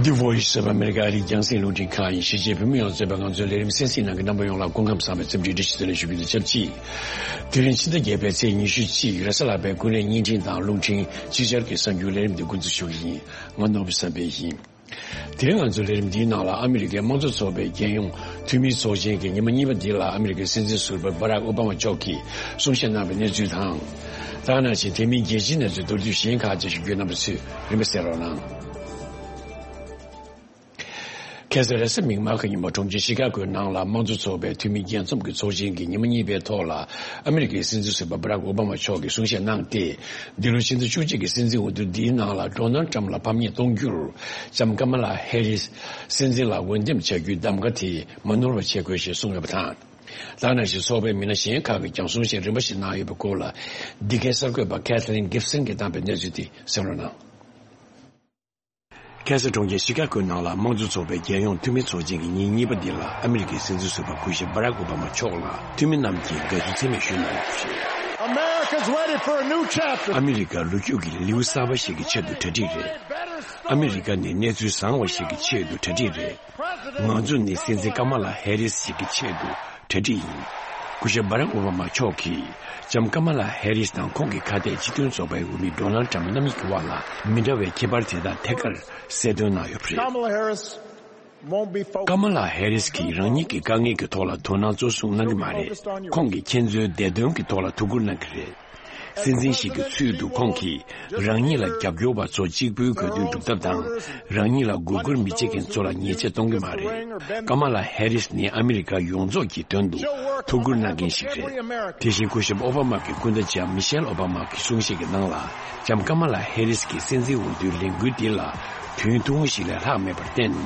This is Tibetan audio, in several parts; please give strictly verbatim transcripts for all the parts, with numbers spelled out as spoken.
The Voice of America ཨ་རིའི་རྒྱང་སྲིང་རླུང་འཕྲིན་ཁང་ཡིན། གཞིས་བྱེས་བོད་མི་ཡོངས་གཙོས་པའི་ང་ཚོའི་ལས་རིམ་གསན་གཟིགས་གནང་མཁན་རྣམ་པ་ཡོངས་ལ་སྐུ་ཁམས་བཟང་བའི་འཚམས་འདྲི་བཀྲ་ཤིས་བདེ་ལེགས་ཞུ་རྒྱུ་དང་ཆབས་ཅིག་དེ་རིང་ཕྱི་ཟླ་བརྒྱད་པའི་ཚེས་ཉི་ཤུ་གཅིག་རེས་གཟའ་ལྷག་པའི་ཀུན་གླེང་བརྙན་འཕྲིན་དང་རླུང་འཕྲིན་ཅིག་ཅར་གྱི་གསར་འགྱུར་ལས་རིམ་འདི་འགོ་འཛུགས་ཞུ་གི་ཡིན། ང་ནོར་བུ་བསམ་འཕེལ་ཡིན། དེ་རིང་ང་ཚོའི་ལས་རིམ་འདིའི་ནང་ལ་ཨ་མི་རི་ཀའི་དམངས་གཙོ་ཚོགས་པའི་རྒྱལ་ཡོངས་འཐུས་མིའི་ཚོགས་ཆེན་གྱི་ཉི་མ་གཉིས་པ་འདི་ལ་ཨ་མི་རི་ཀའི་སྲིད་འཛིན་ཟུར་པ་བྷ་རག་ཨོ་བྷ་མ་མཆོག་གིས་གསུང་བཤད་གནང་བའི་གནས་ཚུལ་དང་། ད་ག་ནང་བཞིན་དེ་མིན་རྒྱལ་སྤྱིའི་གནས་ཚུལ་མདོར་བསྡུས་གཞན་ཁག་ཅིག་ཞུ་རྒྱུ། རྣམ་པ་ཚོས་རིམ་པ་གསན་རོགས་གནང་། ཁ་སང་རེས་གཟའ་མིག་དམར་གྱི་ཉིན་མོ་གྲོང་ཁྱེར་ཤི་ཀ་གོའི་ནང་ལ་དམངས་གཙོ་ཚོགས་པའི་འཐུས་མི་རྒྱས་འཛོམས་ཀྱི་ཚོགས་ཆེན་གྱི་ཉི་མ་གཉིས་པའི་ཐོག་ལ་ཨ་མི་རི་ཀའི་སྲིད་འཛིན་ཟུར་པ་བྷ་རག་ཨོ་བྷ་མ་མཆོག་གིས་གསུང་བཤད་གནང་སྟེ། འདི་ལོ་ཕྱི་ཟླ་བཅུ་གཅིག་གི་སྲིད་འཛིན་འོས་བསྡུ་འདིའི་ནང་ལ་ཌོ་ནལ་ཊམ་ལ་ཕམ་ཉེས་གཏོང་རྒྱུར་ལྕམ་ཀ་མ་ལ་ཧེ་རིས་སྲིད་འཛིན་ལ་འོས་འདེམས་བྱ་རྒྱུའི་གདམ་ག་དེ་མ་ནོར་བ་བྱེད་དགོས་ཞེས་གསུངས་ཡོད་པ་དང་། ད་ག་ནང་བཞིན་ཚོགས་པའི་མི་སྣ་གཞན་ཁག་གིས་ཀྱང་གསུང་བཤད་རིམ་པ་ཞིག་གནང་ཡོད་པའི་སྐོར་ལ། འདི་གའི་གསར་འགོད་པ་ཁེ་ཐི་ལིན་གིབ་སན་གྱིས་བཏང་པའི་གནས་ཚུལ་དེ་གསན་རོགས་གནང་། ཁ་སང་གྲོང་ཁྱེར་ཤི་ཀ་གོའི་ནང་ལ་དམངས་གཙོ་ཚོགས་པའི་རྒྱལ་ཡོངས་འཐུས་མི་ཚོགས་ཆེན་གྱི་ཉིན་གཉིས་པ་འདི་ལ་ཨ་མི་རི་ཀའི་སྲིད་འཛིན་ཟུར་པ་སྐུ་ཞབས་བྷ་རག་ཨོ་བྷ་མ་མཆོག་ལ་འཐུས་མི་རྣམས་ཀྱིས་དགའ་བསུ་འཚེ་མེད་ཞུས་གནང་ཡོད་པ་རེད། America's ready for a new chapter. ཨ་མི་རི་ཀ་ལོ་རྒྱུས་ཀྱི་ལེའུ་གསར་པ་ཞིག་གི་ཆེད་དུ་གྲ་སྒྲིག་རེད། ཨ་མི་རི་ཀ་ནི་གནས་ཚུལ་བཟང་བ་ཞིག་གི་ཆེད་དུ་གྲ་སྒྲིག་རེད། ང་ཚོ་ནི་སྲིད་འཛིན་ཀ་མ་ལ་ཧེ་རིས་ཞིག་གི་ཆེད་དུ་གྲ་སྒྲིག་ཡིན། སྐུ་ཞབས་བྷ་རག་ཨོ་བྷ་མ་མཆོག་གིས་ལྕམ་ཀ་མ་ལ་ཧེ་རིས་དང་ཁོང་གི་ཁ་གཏད་སྤྱི་མཐུན་ཚོགས་པའི་འོས་མི་ཌོ་ནལ་ཊམ་རྣམ་གཉིས་ཀྱི་དབར་ལ་མི་འདྲ་བའི་ཁྱད་པར་དེ་དག་ཐད་ཀར་གསལ་སྟོན་གནང་ཡོད་པ་རེད། Kamala Harris won't be focused. ཀ་མ་ལ་ཧེ་རིས་ཀྱིས་རང་ཉིད་ཀྱི་དཀའ་ངལ་གྱི་ཐོག་ལ་དོ་སྣང་གཙོ་བཟུང་གནང་གི་མ་རེད། ཁོང་གིས་ཁྱེད་ཚོའི་བདེ་དོན་གྱི་ཐོག་ལ་ཐུགས་ཁུར་གནང་གི་རེད། སྲིད་འཛིན་ཞིག་གི་ཚུལ་དུ་ཁོང་གིས་རང་ཉིད་ལ་རྒྱབ་སྐྱོར་བ་ཚོ་གཅིག་པུའི་དགོས་འདུན་སྒྲུབ་ཐབས་དང་། རང་ཉིད་ལ་མགོ་སྐོར་མི་བྱེད་མཁན་ཚོ་ལ་ཉེས་ཆད་གཏོང་གི་མ་རེད། ཀ་མ་ལ་ཧེ་རིས་ནི་ཨ་མི་རི་ཀ་ཡོངས་རྫོགས་ཀྱི་དོན་དུ་ཐུགས་ཁུར་གནང་མཁན་ཞིག་རེད། དེ་བཞིན་སྐུ་ཞབས་ཨོ་བྷ་མ་གི་སྐུ་ཟླ་ལྕམ་མི་ཤེལ་ཨོ་བྷ་མ་གི་གསུང་བཤད་ཀྱི་ནང་ལ་ལྕམ་ཀ་མ་ལ་ཧེ་རིས་ཀྱི་སྲིད་འཛིན་འོས་བསྡུའི་ལས་འགུལ་འདི་ལ་དུས་ཐུང་ཞིག་ལས་ལྷག་མེད་པར་བརྟེན།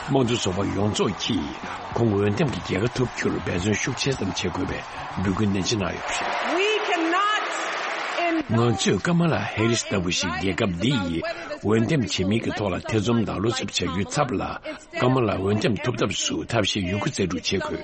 དམངས་གཙོ་ཚོགས་པ་ཡོངས་རྫོགས་ཀྱིས་ཁོང་འོས་འདེམས་ཀྱི་རྒྱལ་ཁ་ཐོབ་རྒྱུར་འབད་བརྩོན་ཤུགས་ཆེ་ཙམ་བྱེད་དགོས་པའི་འབོད་སྐུལ་ནན་ཆེ་གནང་ཡོད་པ་རེད། We cannot in- ང་ཚོས་ཀ་མ་ལ་ཧེ་རིས་ལྟ་བུ་ཞིག་རྒྱལ་ཁབ་འདི་ཡི་འོས་འདེམས་བྱེད་མིན་གྱི་ཐོག་ལ་ཐེ་ཚོམ་དང་བློ་འཚབ་བྱ་རྒྱུའི་ཚབ་ལ། ཀ་མ་ལ་འོས་འདེམས་ཐུབ་ཐབས་སུ་ཐབས་ཤེས་ཡོད་རྒུ་རྩལ་སྤྲུགས་བྱེད་དགོས།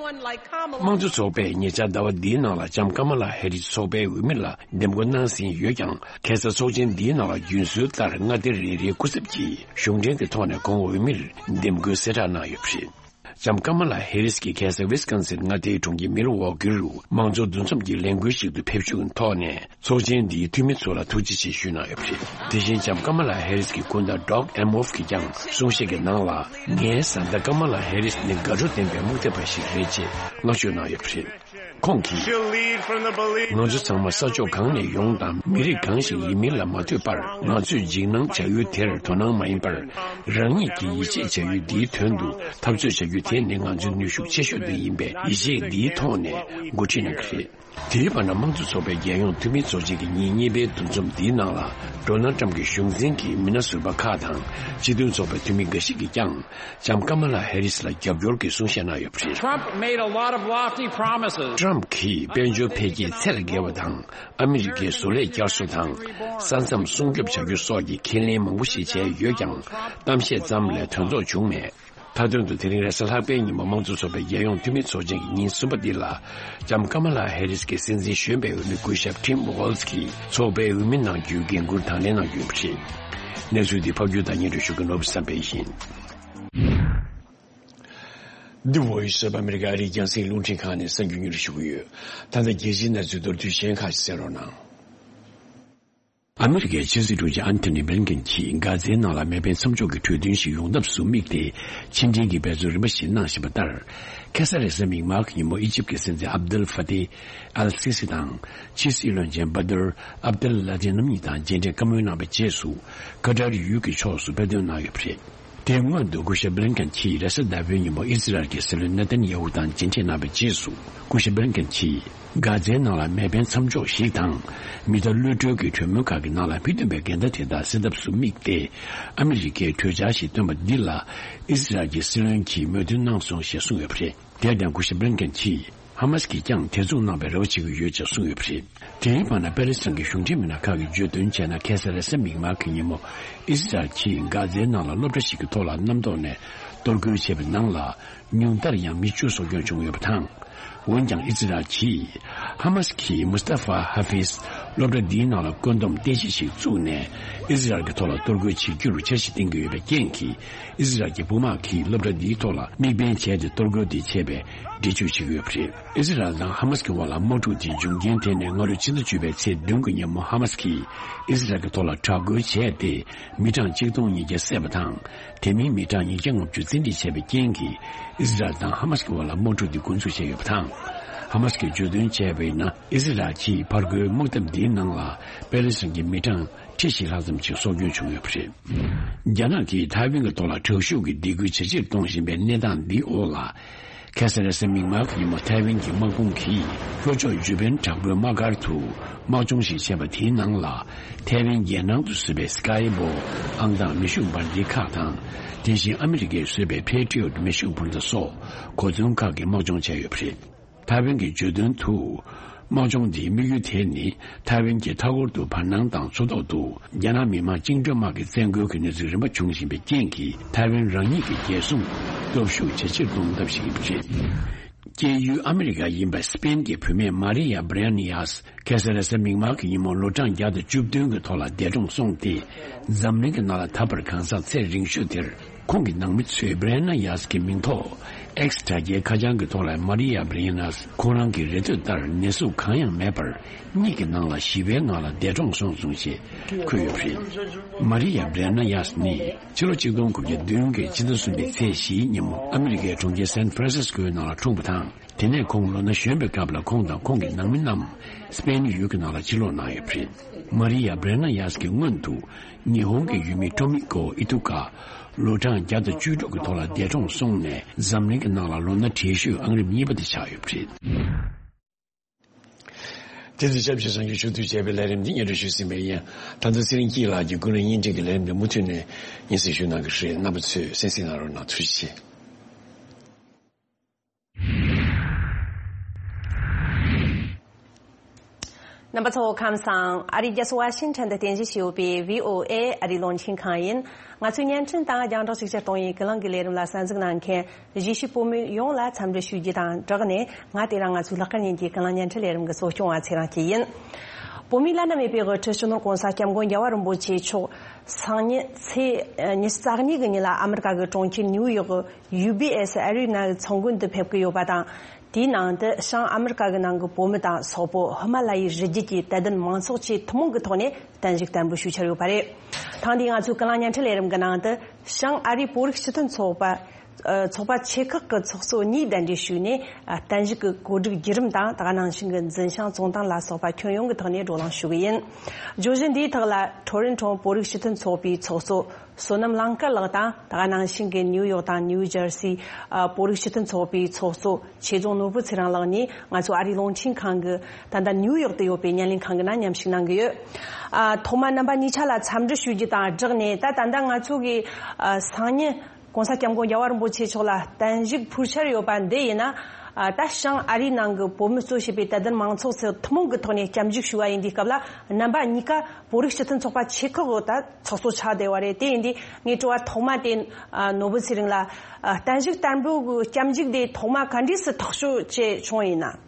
དམངས་གཙོ་ཚོགས་པས་ཉེ་ཆར་ཟླ་བ་འདིའི་ནང་ལ་ལྕམ་ཀ་མ་ལ་ཧེ་རིས་ཚོགས་པའི་འོས་མི་ལ་འདེམས་བསྐོ་གནང་ཟིན་ཡོད་ཀྱང་། ཁ་སང་ཚོགས་ཆེན་འདིའི་ནང་ལ་རྒྱུན་སྲོལ་ལྟར་མངའ་སྡེ་རེ་རེའི་སྐུ་ཚབ་ཀྱིས་གཞུང་འབྲེལ་གྱི་ཐོག་ནས་ཁོང་འོས་མིར་འདེམས་བསྐོའི་གསལ་བསྒྲགས་གནང་ཡོད་པ་རེད། ལྕམ་ཀ་མ་ལ་ཧེ་རིས་ཀྱིས་ཁ་སང་ཝི་སི་ཀོན་སིན་མངའ་སྡེའི་གྲོང་ཁྱེར་མི་ལ་ཝོ་ཀིར་དུ་དམངས་གཙོ་འདུ་འཛོམས་ཀྱི་ལས་འགུལ་ཞིག་ཏུ་ཕེབས་ཞུགས་ཀྱི་ཐོག་ནས། ཚོགས་ཆེན་འདིའི་འཐུས་མི་ཚོ་ལ་ཐུགས་རྗེ་ཆེ་ཞུས་གནང་ཡོད་པ་རེད། དེ་བཞིན་ལྕམ་ཀ་མ་ལ་ཧེ་རིས་ཀྱི་སྐུ་ཟླ་ཌོག་ཨེམ་ཨོབ་ཀྱིས་ཀྱང་གསུང་བཤད་ཀྱི་ནང་ལ། ངའི་བཟའ་ཟླ་ཀ་མ་ལ་ཧེ་རིས་ནི་དགའ་སྤྲོ་ལྡན་པའི་རྨོངས་དད་པ་ཞིག་རེད་ཅེས་བསྔགས་བརྗོད་གནང་ཡོད་པ་རེད། ཁོང་གིས། She'll lead from the belief ང་ཚོ་ཚང་མ་ས་ཕྱོགས་གང་ནས་ཡོང་དང་མི་རིགས་གང་ཞིག་ཡིན་མིན་ལ་མ་ལྟོས་པར། ང་ཚོས་འཇིགས་སྣང་བྱ་ཡུལ་དེར་དོ་སྣང་མ་ཡིན་པར། རང་ཉིད་ཀྱི་ཡིད་ཆེས་བྱ་ཡུལ་འདིའི་དོན་དུ་འཐབ་རྩོད་བྱ་རྒྱུ་དེ་ནི་ང་ཚོའི་ནུས་ཤུགས་ཆེ་ཤོས་དེ་ཡིན་པས། ཡིད་ཆེས་འདིའི་ཐོག་ནས་འགོ་ཁྲིད་གནང་གི་རེད། དེའི་བར་ན་དམངས་གཙོ་ཚོགས་པའི་རྒྱལ་ཡོངས་འཐུས་མི་ཚོགས་ཆེན་གྱི་ཉིན་གཉིས་པའི་འདུ་འཛོམས་འདིའི་ནང་ལ། ཌོ་ནལ་ཊམ་གྱི་གཞུང་འཛིན་གྱི་མི་སྣ་ཟུར་པ་ཁག་དང་སྤྱི་མཐུན་ཚོགས་པའི་འཐུས་མི་འགའ་ཞིག་གིས་ཀྱང་ལྕམ་ཀ་མ་ལ་ཧེ་རིས་ལ་རྒྱབ་སྐྱོར་གྱི་གསུང་བཤད་གནང་ཡོད་པ་རེད། Trump made a lot of lofty promises. ཊམ་གྱིས་དཔལ་འབྱོར་འཕེལ་རྒྱས་ཚད་ལས་བརྒལ་བ་དང་། ཨ་མི་རི་ཀའི་བཟོ་ལས་བསྐྱར་གསོ་དང་། ས་མཚམས་སྲུང་སྐྱོབ་བྱ་རྒྱུ་སོགས་ཀྱི་ཁས་ལེན་མང་པོ་ཞིག་བྱས་ཡོད་ཀྱང་། གཏམ་བཤད་ཙམ་ལས་དོན་རྫོགས་བྱུང་མེད། མཐའ་དོན་དུ་དེ་རིང་རེས་གཟའ་ལྷག་པའི་ཉིན་མོ་དམངས་གཙོ་ཚོགས་པའི་རྒྱལ་ཡོངས་འཐུས་མི་ཚོགས་ཆེན་གྱི་ཉིན་གསུམ་པ་འདི་ལ། ལྕམ་ཀ་མ་ལ་ཧེ་རིས་ཀྱི་སྲིད་འཛིན་གཞོན་པའི་འོས་མི་སྐུ་ཞབས་ཊིམ་ཝོལ་ཛི་ཀྱིས་ཚོགས་པའི་འོས་མི་གནང་རྒྱུའི་འགན་འཁུར་དང་ལེན་གནང་རྒྱུ་ཡིན་པ་རེད། གནས་ཚུལ་འདི་ཕབ་སྒྱུར་དང་སྙན་སྒྲོན་ཞུ་མཁན་ནོར་བུ་བསམ་འཕེལ་ཡིན། འདི་Voice of America ཨ་རིའི་རྒྱང་སྲིང་རླུང་འཕྲིན་ཁང་ནས་གསར་འགྱུར་སྙན་སྒྲོན་ཞུ་གི་ཡོད། ད་ལྟ་རྒྱལ་སྤྱིའི་གནས་ཚུལ་མདོར་བསྡུས་གཞན་ཁག་ཅིག་གསན་རོགས་གནང་། ཨ་མི་རི་ཀའི་ཕྱི་སྲིད་དྲུང་ཆེ་ཨན་ཐོ་ནི་བྷི་ལིན་ཀེན་གྱིས་གྷ་ཛའི་ནང་ལ་མེ་འཕེན་མཚམས་འཇོག་གི་གྲོས་མཐུན་ཞིག་ཡོང་ཐབས་སུ་དམིགས་ཏེ། ཕྱི་འབྲེལ་གྱི་འབད་བརྩོན་རིམ་པ་ཞིག་གནང་བཞིན་པ་ལྟར། ཁ་སང་རེས་གཟའ་མིག་དམར་གྱི་ཉིན་མོ་ཨི་ཇིབ་ཀྱི་སྲིད་འཛིན་ཨབ་དུལ་ཧྥ་ཏེ་ཨལ་སི་སི་དང་། ཕྱི་སྲིད་བློན་ཆེན་བ་དུར་ཨབ་དུལ་ལ་ཏི་རྣམ་གཉིས་དང་མཇལ་འཕྲད་བཀའ་མོལ་གནང་བའི་རྗེས་སུ། ཀ་ཏར་ཡུལ་གྱི་ཕྱོགས་སུ་དཔེ་སྟོན་གནང་ཡོད་པ་རེད། དེའི་སྔོན་དུ་སྐུ་ཞབས་བྷི་ལིན་ཀེན་གྱིས་རེས་གཟའ་ཟླ་བའི་ཉིན་མོ་ཨི་ཟི་རལ་གྱི་སྲིད་བློན་ནེ་ཐན་ཡ་ཧུ་དང་མཇལ་འཕྲད་གནང་བའི་རྗེས་སུ། སྐུ་ཞབས་བྷི་ལིན་ཀེན་གྱིས། གྷ་ཛའི་ནང་ལ་མེ་འཕེན་མཚམས་འཇོག་ཞིག་དང་། མི་གཏའ་གློད་གྲོལ་གྱི་གྲོས་མོལ་ཁག་གི་ནང་ལ་མི་མཐུན་པའི་འགལ་ཟླ་དེ་དག་སེལ་ཐབས་སུ་དམིགས་ཏེ། ཨ་མི་རི་ཀས་གྲོས་འཆར་ཞིག་བཏོན་པ་འདི་ལ། ཨི་ཟི་རལ་གྱི་སྲིད་བློན་གྱིས་མོས་མཐུན་གནང་སོང་ཞེས་གསུངས་ཡོད་པ་རེད། དེར་བརྟེན་སྐུ་ཞབས་བྷི་ལིན་ཀེན་གྱིས། ཧ་མ་སི་ཀྱིས་ཀྱང་དེ་མཚུངས་གནང་བའི་རེ་བ་བྱེད་ཀྱི་ཡོད་ཅེས་གསུངས་ཡོད་པ་རེད། དེའི་བར་ན་པེ་ལེ་སི་ཐན་གྱི་གཞུང་འབྲེལ་མི་སྣ་ཁག་གིས་བརྗོད་དོན་བྱས་ན། ཁ་སང་རེས་གཟའ་མིག་དམར་གྱི་ཉིན་མོ་ཨི་སི་རལ་གྱིས་གྷ་ཛའི་ནང་ལ་སློབ་གྲྭ་ཞིག་གི་ཐོག་ལ་གནམ་ཐོག་ནས་གཏོར་རྒོལ་བྱས་པའི་ནང་ལ། ཉུང་མཐར་ཡང་མི་བཅུ་སྲོག་སྐྱོན་བྱུང་ཡོད་པ་དང་། འོན་ཀྱང་ཨི་སི་རལ་གྱིས་ ཧ་མ་སི་གིས་མུས་ཏ་ཧྥ་ཧ་ཧྥིས་སློབ་གྲྭ་འདིའི་ནང་ལ་བཀོད་འདོམས་རྟེན་གཞི་ཞིག་བཙུགས་ནས་ཨི་ཟི་རལ་གྱི་ཐོག་ལ་གཏོར་རྒོལ་བྱེད་རྒྱུར་འཆར་གཞི་བཏིང་གི་ཡོད་པའི་རྐྱེན་གྱིས། ཨི་ཟི་རལ་གྱི་དཔུང་དམག་གིས་སློབ་གྲྭ་འདིའི་ཐོག་ལ་དམིགས་འབེན་བྱས་ཏེ་གཏོར་རྒོལ་དེ་བྱས་པའི་འགྲེལ་བརྗོད་བྱེད་ཀྱི་ཡོད་པ་རེད། ཨི་ཟི་རལ་དང་ཧ་མ་སི་གི་དབར་ལ་དམག་འཁྲུག་དེ་འབྱུང་རྐྱེན་དེ་ནི་སྔ་རོལ་ཕྱི་ཟླ་བཅུ་པའི་ཚེས་བདུན་གྱི་ཉིན་མོ་ཧ་མ་སི་གིས་ཨི་ཟི་རལ་གྱི་ཐོག་ལ་དྲག་རྒོལ་བྱས་ཏེ། མི་གྲངས་གཅིག་སྟོང་ཉིས་བརྒྱ་བསད་པ་དང་། དེ་མིན་མི་གྲངས་ཉིས་བརྒྱ་ལྔ་བཅུ་རྩིས་འགྲིག་བྱས་པའི་རྐྱེན་གྱིས། ཨི་ཟི་རལ་དང་ཧ་མ་སི་གི་དབར་ལ་དམག་འཁྲུག་འདི་འགོ་འཛུགས་བྱས་ཡོད་པ་དང་། ཧ་མ་སི་གིས་བརྗོད་དོན་བྱས་པ་ཡིན་ན། ཨི་ཟི་རལ་གྱིས་ཕར་རྒོལ་དམག་འཐབ་འདིའི་ནང་ལ་པེ་ལེ་སི་ཐན་གྱི་མི་གྲངས་ཁྲི་བཞི་ལྷག་ཙམ་ཞིག་སྲོག་སྐྱོན་བྱུང་ཡོད་པ་རེད། རྒྱ་ནག་གིས་ཐའེ་ཝན་གྱི་ཐོག་ལ་དྲག་ཤུགས་ཀྱི་སྡིགས་སྐུལ་ཇེ་ཆེར་གཏོང་བཞིན་པའི་གནས་སྟངས་འདིའི་འོག་ལ། ཁ་སང་རེས་གཟའ་མིག་དམར་གྱི་ཉིན་མོ་ཐའེ་ཝན་གྱི་དམག་དཔུང་གིས་ལྷོ་ཕྱོགས་ཇུ་པན་བྲག་བརྐོས་དམག་སྒར་དུ་དམག་སྦྱོང་ཞིག་བྱས་པ་དེའི་ནང་ལ། ཐའེ་ཝན་རྒྱལ་ནང་དུ་བཟོས་པའི་སི་ཀའི་བོ་ཨང་དང་མེ་ཤུགས་འབར་མདེལ་ཁག་དང་། དེ་བཞིན་ཨ་མི་རི་ཀས་བཟོས་པའི་པེ་ཊི་ཡོཊ་མེ་ཤུགས་འཕུར་མདའ་སོགས་གོ་མཚོན་ཁག་གི་དམག་སྦྱོང་བྱས་ཡོད་པ་རེད། ཐའེ་ཝན་གྱིས་བརྗོད་དོན་དུ། དམག་སྦྱོང་འདིའི་དམིགས་ཡུལ་དེ་ནི་ཐའེ་ཝན་གྱི་མཐའ་འཁོར་དུ་བར་སྣང་དང་མཚོ་ཐོག་ཏུ་རྒྱ་ནག་མི་དམངས་བཅིངས་འགྲོལ་དམག་གི་བཙན་རྒོལ་གྱི་གནས་ཚུལ་རིམ་པ་བྱུང་བཞིན་པའི་རྐྱེན་གྱིས། ཐའེ་ཝན་རང་ཉིད་ཀྱི་རྒྱལ་སྲུང་སྟོབས་ཤུགས་ཇེ་ཆེར་གཏོང་ཐབས་ཤིག་ཡིན་པ་རེད། སྐྱེས་ཡུལ་ཨ་མི་རི་ཀ་ཡིན་པའི་སི་པེན་གྱི་བུད་མེད་མ་རི་ཡ་བྷི་རེ་ནི་ཡཱས་ཁ་སང་རེས་གཟའ་མིག་དམར་གྱི་ཉིན་མོ་ལོ་གྲངས་བརྒྱ་དང་བཅུ་བདུན་གྱི་ཐོག་ལ་འདས་གྲོངས་སོང་སྟེ། འཛམ་གླིང་གི་ནང་ལ་ད་བར་གང་ཟག་ཚད་རིང་ཤོས་དེར། ཁོང་གི་ནང་མི་ཚོས་བྷི་རེ་ན་ཡཱས་ཀྱི་མིང་ཐོག་ཨེགས་དྲ་རྒྱའི་ཁ་བྱང་གི་ཐོག་ལ་མ་རི་ཡ་བྷི་རེ་ནཱས་ཁོང་རང་གི་རེ་འདོད་ལྟར་ནད་གཟུགས་གང་ཡང་མེད་པར། གཉིད་ཀྱི་ནང་ལ་ཞི་བའི་ངང་ལ་འདས་གྲོངས་སོང་ཞེས་འཁོད་ཡོད་པ་རེད། མ་རི་ཡ་བྷི་རེ་ན་ཡཱས་ནི་ཕྱི་ལོ་ཆིག་སྟོང་དགུ་བརྒྱ་བདུན་གྱི་ཕྱི་ཟླ་གསུམ་པའི་ཚེས་བཞིའི་ཉིན་མོ་ཨ་མི་རི་ཀའི་གྲོང་ཁྱེར་སན་ཧྥ་རན་སིས་ཀོའི་ནང་ལ་འཁྲུངས་པ་དང་། དེ་ནས་ཁོང་ལོ་ན་གཞོན་པའི་སྐབས་ལ་ཁོང་དང་ཁོང་གི་ནང་མི་རྣམས་སི་པེན་ཡུལ་གྱི་ནང་ལ་ཕྱིར་ལོག་གནང་ཡོད་པ་རེད། མ་རི་ཡ་བྷི་རེ་ན་ཡཱས་ཀྱི་སྔོན་དུ་ཉི་ཧོང་གི་ཡུལ་མི་ཀྲོ་མི་ཀོ་ཨི་ཐུ་ཀ་ལོ་གྲངས་བརྒྱ་དང་བཅུ་དྲུག་གི་ཐོག་ལ་འདས་གྲོངས་སོང་ནས། འཛམ་གླིང་གི་ནང་ལ་ལོ་ན་བགྲེས་ཤོས་ཨང་རིམ་གཉིས་པ་དེ་ཆགས་ཡོད་པ་རེད། དེ་ཚོ་ཆབས་ཅིག་གསར་འགྱུར་ཞུ་གཏུག་བྱས་པའི་ལས་རིམ་འདི་སྙན་སྒྲོན་ཞུས་ཟིན་པ་ཡིན། ད་ལྟ་ཚེ་རིང་སྐྱིད་ལགས་ཀྱིས་ཀུན་གླེང་བརྙན་འཕྲིན་གྱི་ལས་རིམ་འདི་མུ་མཐུད་ནས་སྙན་སེང་ཞུ་གནང་གི་རེད། རྣམ་པ་ཚོས་གསན་གཟིགས་གནང་རོགས་གནང་། ཐུགས་རྗེ་ཆེ། རྣམ་པ་ཚོ་ཁམས་བཟང་། ཨ་རིའི་རྒྱལ་ས་ཝ་ཤིང་ཊོན་དུ་རྟེན་གཞི་བྱས་ཡོད་པའི་བྷི་ཨོ་ཨེ་ཨ་རིའི་རླུང་འཕྲིན་ཁང་ཡིན། ང་ཚོའི་བརྙན་འཕྲིན་དང་རྒྱང་བསྒྲགས་ཤུགས་ཆེར་གཏོང་བའི་ཀུན་གླེང་གི་ལས་རིམ་ལ་གསན་གཟིགས་གནང་མཁན་གཞིས་བྱེས་བོད་མི་ཡོངས་ལ་འཚམས་འདྲི་ཞུ་རྒྱུ་དང་སྦྲགས་ནས། ང་དེ་རིང་ང་ཚོའི་ལྷག་དཀར་ཉིན་གྱི་ཀུན་གླེང་བརྙན་འཕྲིན་ལས་རིམ་གྱི་གཙོ་སྐྱོང་བ་ཚེ་རིང་སྐྱིད་ཡིན། བོད་མིའི་བླ་ན་མེད་པའི་དབུ་ཁྲིད་སྤྱི་ནོར་༸གོང་ས་༸སྐྱབས་མགོན་རྒྱལ་བ་རིན་པོ་ཆེ་མཆོག་སང་ཉིན་ཚེས་ཉི་ཤུ་རྩ་གཉིས་ཀྱི་ཉིན་ལ་ཨ་མི་རི་ཀ་གི་གྲོང་ཁྱེར་ནིའུ་ཡོག་གི་ཡུ་བི་ཨེ་སི་ཨེ་རི་ན་གི་ཚོགས་མགོན་དུ་ཕེབས་ཀྱི་ཡོད་པ་དང་། དེའི་ནང་དུ་བྱང་ཨ་མི་རི་ཀ་གི་ནང་གི་བོད་མི་དང་སོག་པོ་ཧི་མ་ལ་ཡའི་རི་རྒྱུད་ཀྱི་དད་ལྡན་མང་ཚོགས་བཅས་ཐུན་མོང་གི་ཐོག་ནས་བརྟན་བཞུགས་བརྟན་པོ་ཞུ་འཆར་ཡོད་པ་རེད། ཐེངས་འདིའི་ང་ཚོའི་ཀུན་གླེང་བརྙན་འཕྲིན་ལས་རིམ་གྱི་ནང་དུ་བྱང་ཨ་རིའི་བོད་རིགས་སྤྱི་མཐུན་ཚོགས་པ། ཨ། ཚོགས་པ་ཆེ་ཁག་གི་ཚོགས་གཙོ་གཉིས་གདན་འདྲེན་ཞུས་ནས། ཨ། བརྟན་བཞུགས་ཀྱི་གོ་སྒྲིག་བརྒྱུད་རིམ་དང་། དེ་ག་ནང་བཞིན་གྱི་འཛིན་བྱང་བཙོན་དོང་ལ་སོགས་པ་ཁྱོན་ཡོངས་ཀྱི་ཐོག་ནས་བགྲོ་གླེང་ཞུ་གི་ཡིན། བརྗོད་གཞི་འདིའི་ཐོག་ལ་ཊོ་རོན་ཊོ་བོད་རིགས་སྤྱི་མཐུན་ཚོགས་པའི་ཚོགས་གཙོ་བསོད་ནམས་གླིང་དཀར་ལགས་དང་། དེ་ག་ནང་བཞིན་གྱི་ནིའུ་ཡོག་དང་ནིའུ་ཇར་སི། ཨ། བོད་རིགས་སྤྱི་མཐུན་ཚོགས་པའི་ཚོགས་གཙོ་ཆོས་རྫོང་ནོར་བུ་ཚེ་རིང་ལགས་གཉིས་ང་ཚོ་ཨ་རིའི་རླུང་འཕྲིན་ཁང་གི་ད་ལྟ་ནིའུ་ཡོག་ཏུ་ཡོད་པའི་བརྙན་ལེན་ཁང་གི་ནང་མཉམ་ཞུགས་གནང་གི་ཡོད། ཨ། ཐོག་མར་རྣམ་པ་གཉིས་ཆ་ལ་འཚམས་འདྲི་ཞུ་རྒྱུ་དང་སྦྲགས་ནས། ད་ད་ལྟ་ང་ཚོ་གི། ཨ། སང་ཉིན་༸གོང་ས་༸སྐྱབས་མགོན་རྒྱལ་བ་རིན་པོ་ཆེ་མཆོག་ལ་བརྟན་བཞུགས་ཕུལ་འཆར་ཡོད་པ་འདི་ཡིན་ན། ཨ། ད་བྱང་ཨ་རིའི་ནང་གི་བོད་མི་གཙོ་བྱས་པའི་དད་ལྡན་མང་ཚོགས་ཚོ་ཐུན་མོང་གི་ཐོག་ནས་སྐྱབས་འཇུག་ཞུ་བ་ཡིན་དུས་སྐབས་ལ། རྣམ་པ་གཉིས་ཀ་བོད་རིགས་སྤྱི་མཐུན་ཚོགས་པ་ཆེ་ཁག་གི་ད་ཚོགས་གཙོ་ཆགས་བསྡད་པ་རེད། དེ་ཡིན་དུས་ངའི་དྲི་བ་ཐོག་མ་དེ། ཨ། ནོར་བུ་ཚེ་རིང་ལ། ཨ། བརྟན་བཞུགས་བརྟན་པོ་གི་སྐྱབས་འཇུག་དེ་ཐོག་མ་ག་འདྲས་སུ་ཐག་གཅོད་བྱས་བྱུང་ཡིན་ན།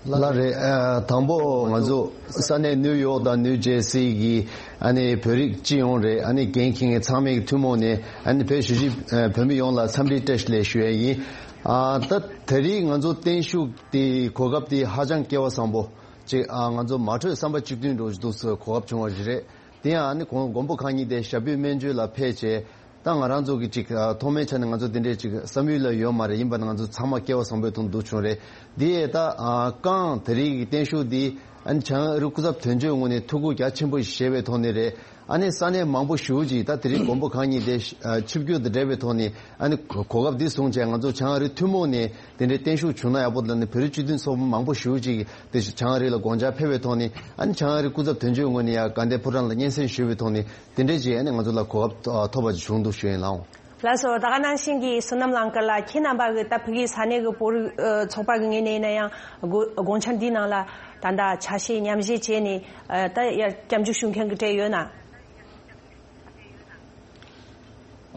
ལགས་རེད། ཨ། དང་པོ་ང་ཚོ་ས་གནས་ནིའུ་ཡོག་དང་ནིའུ་ཇེར་སི་གི་ཨ་ནི་བོད་རིགས་སྤྱི་ཡོངས་རེད། ཨ་ནི་འགན་འཁྱེར་མཁན་ཚང་མས་ཐུན་མོང་ནས་ཨ་ནི་བོད་གཞིས་བྱེས་བོད་མི་ཡོངས་ལ་འཚམས་འདྲི་བཀྲ་ཤིས་བདེ་ལེགས་ཞུ་ཡ་ཡིན། ཨ། ད་དེ་རིང་ང་ཚོ་བརྟན་བཞུགས་དེ་གོ་སྐབས་དེ་ཧ་ཅང་སྐལ་བ་བཟང་པོ་ཅིག་ཨ། ང་ཚོ་མ་གྲོས་བསམ་པ་གཅིག་མཐུན་འགྲོ་འདུག་སེ་གོ་སྐབས་བྱུང་བ་ཞིག་རེད། དེ་ཡང་ཨ་ནི་མགོན་མགོན་པོ་གང་ཉིད་དེ་ཞབས་པུས་སྨན་བཅོས་ལ་ཕེབས་བྱས། ད་ང་རང་ཚོ་གི་ཅིག་ཨ། ཐོག་མའི་ཆ་ནས་ང་ཚོ་དེ་འདྲའི་ཅིག་བསམ་ཡུལ་ལ་ཡོད་མ་རེད། ཡིན་པ་ན་ང་ཚོ་ཚང་མ་སྐལ་བ་བཟང་པོའི་ཐོག་འདུག་བྱུང་རེད། འདི་ཡས་ད་ཨ། རྐང་དེ་རིང་གི་བརྟན་བཞུགས་འདི་ཨ་ནི་བྱང་ཨ་རི་སྐུ་ཚབ་དོན་གཅོད་ངོས་ནས་ཐུགས་ཁུར་རྒྱ་ཆེན་པོ་ཞིག་བཞེས་པའི་ཐོག་ནས་རེད། ཨ་ནི་ས་གནས་མང་པོ་ཞེ་པོ་ཅིག་ད་དེ་རིང་མགོན་པོ་གང་ཉིད་དེ་ཨ། ཆིབས་བསྒྱུར་དང་འབྲེལ་བའི་ཐོག་ནས་ཨ་ནི་གོ་གོ་སྐབས་འདི་བཟུང་བྱས། ང་ཚོ་བྱང་ཨ་རི་ཐུན་མོང་ནས་དེ་འདྲའི་བརྟན་བཞུགས་བྱུང་ན་ཡག་པོ་འདུག་ལབ་ནས་བོད་རིགས་སྤྱི་མཐུན་ཚོགས་པ་མང་པོ་ཞེ་པོ་ཅིག་དེ་བྱང་ཨ་རི་ལ་དགོངས་འཆར་ཕེབས་པའི་ཐོག་ནས། ཨ་ནི་བྱང་ཨ་རི་སྐུ་ཚབ་དོན་གཅོད་ངོས་ནས་ཡང་དགའ་ལྡན་ཕོ་བྲང་ལ་སྙན་སེང་ཞུས་པའི་ཐོག་ནས། དེ་འདྲས་ཅིག་ཨ་ནི་ང་ཚོ་ལ་གོ་སྐབས་ཐོབ་པ་ཅིག་བྱུང་འདུག་ཞུ་ཡིན་ལགས། ལགས་སོ། ད་ག་ནང་བཞིན་གྱི་བསོད་ནམས་གླིང་དཀར་ལགས། ཁྱེད་རྣམ་པ་གི་ད་ཕ་གིའི་ས་གནས་ཀྱི་བོད་རིགས་ཨ། ཚོགས་པ་གི་ངོས་ནས་ཡིན་ན་ཡང་དགོ་དགོངས་འཆར་འདིའི་ནང་ལ་ད་ལྟ་ཆ་ཤས་མཉམ་བཞེས་བྱས་ནས་ཨ། ད་ཡར་སྐྱབས་འཇུག་ཞུ་མཁན་གྱི་གྲས་ཡོད་ན།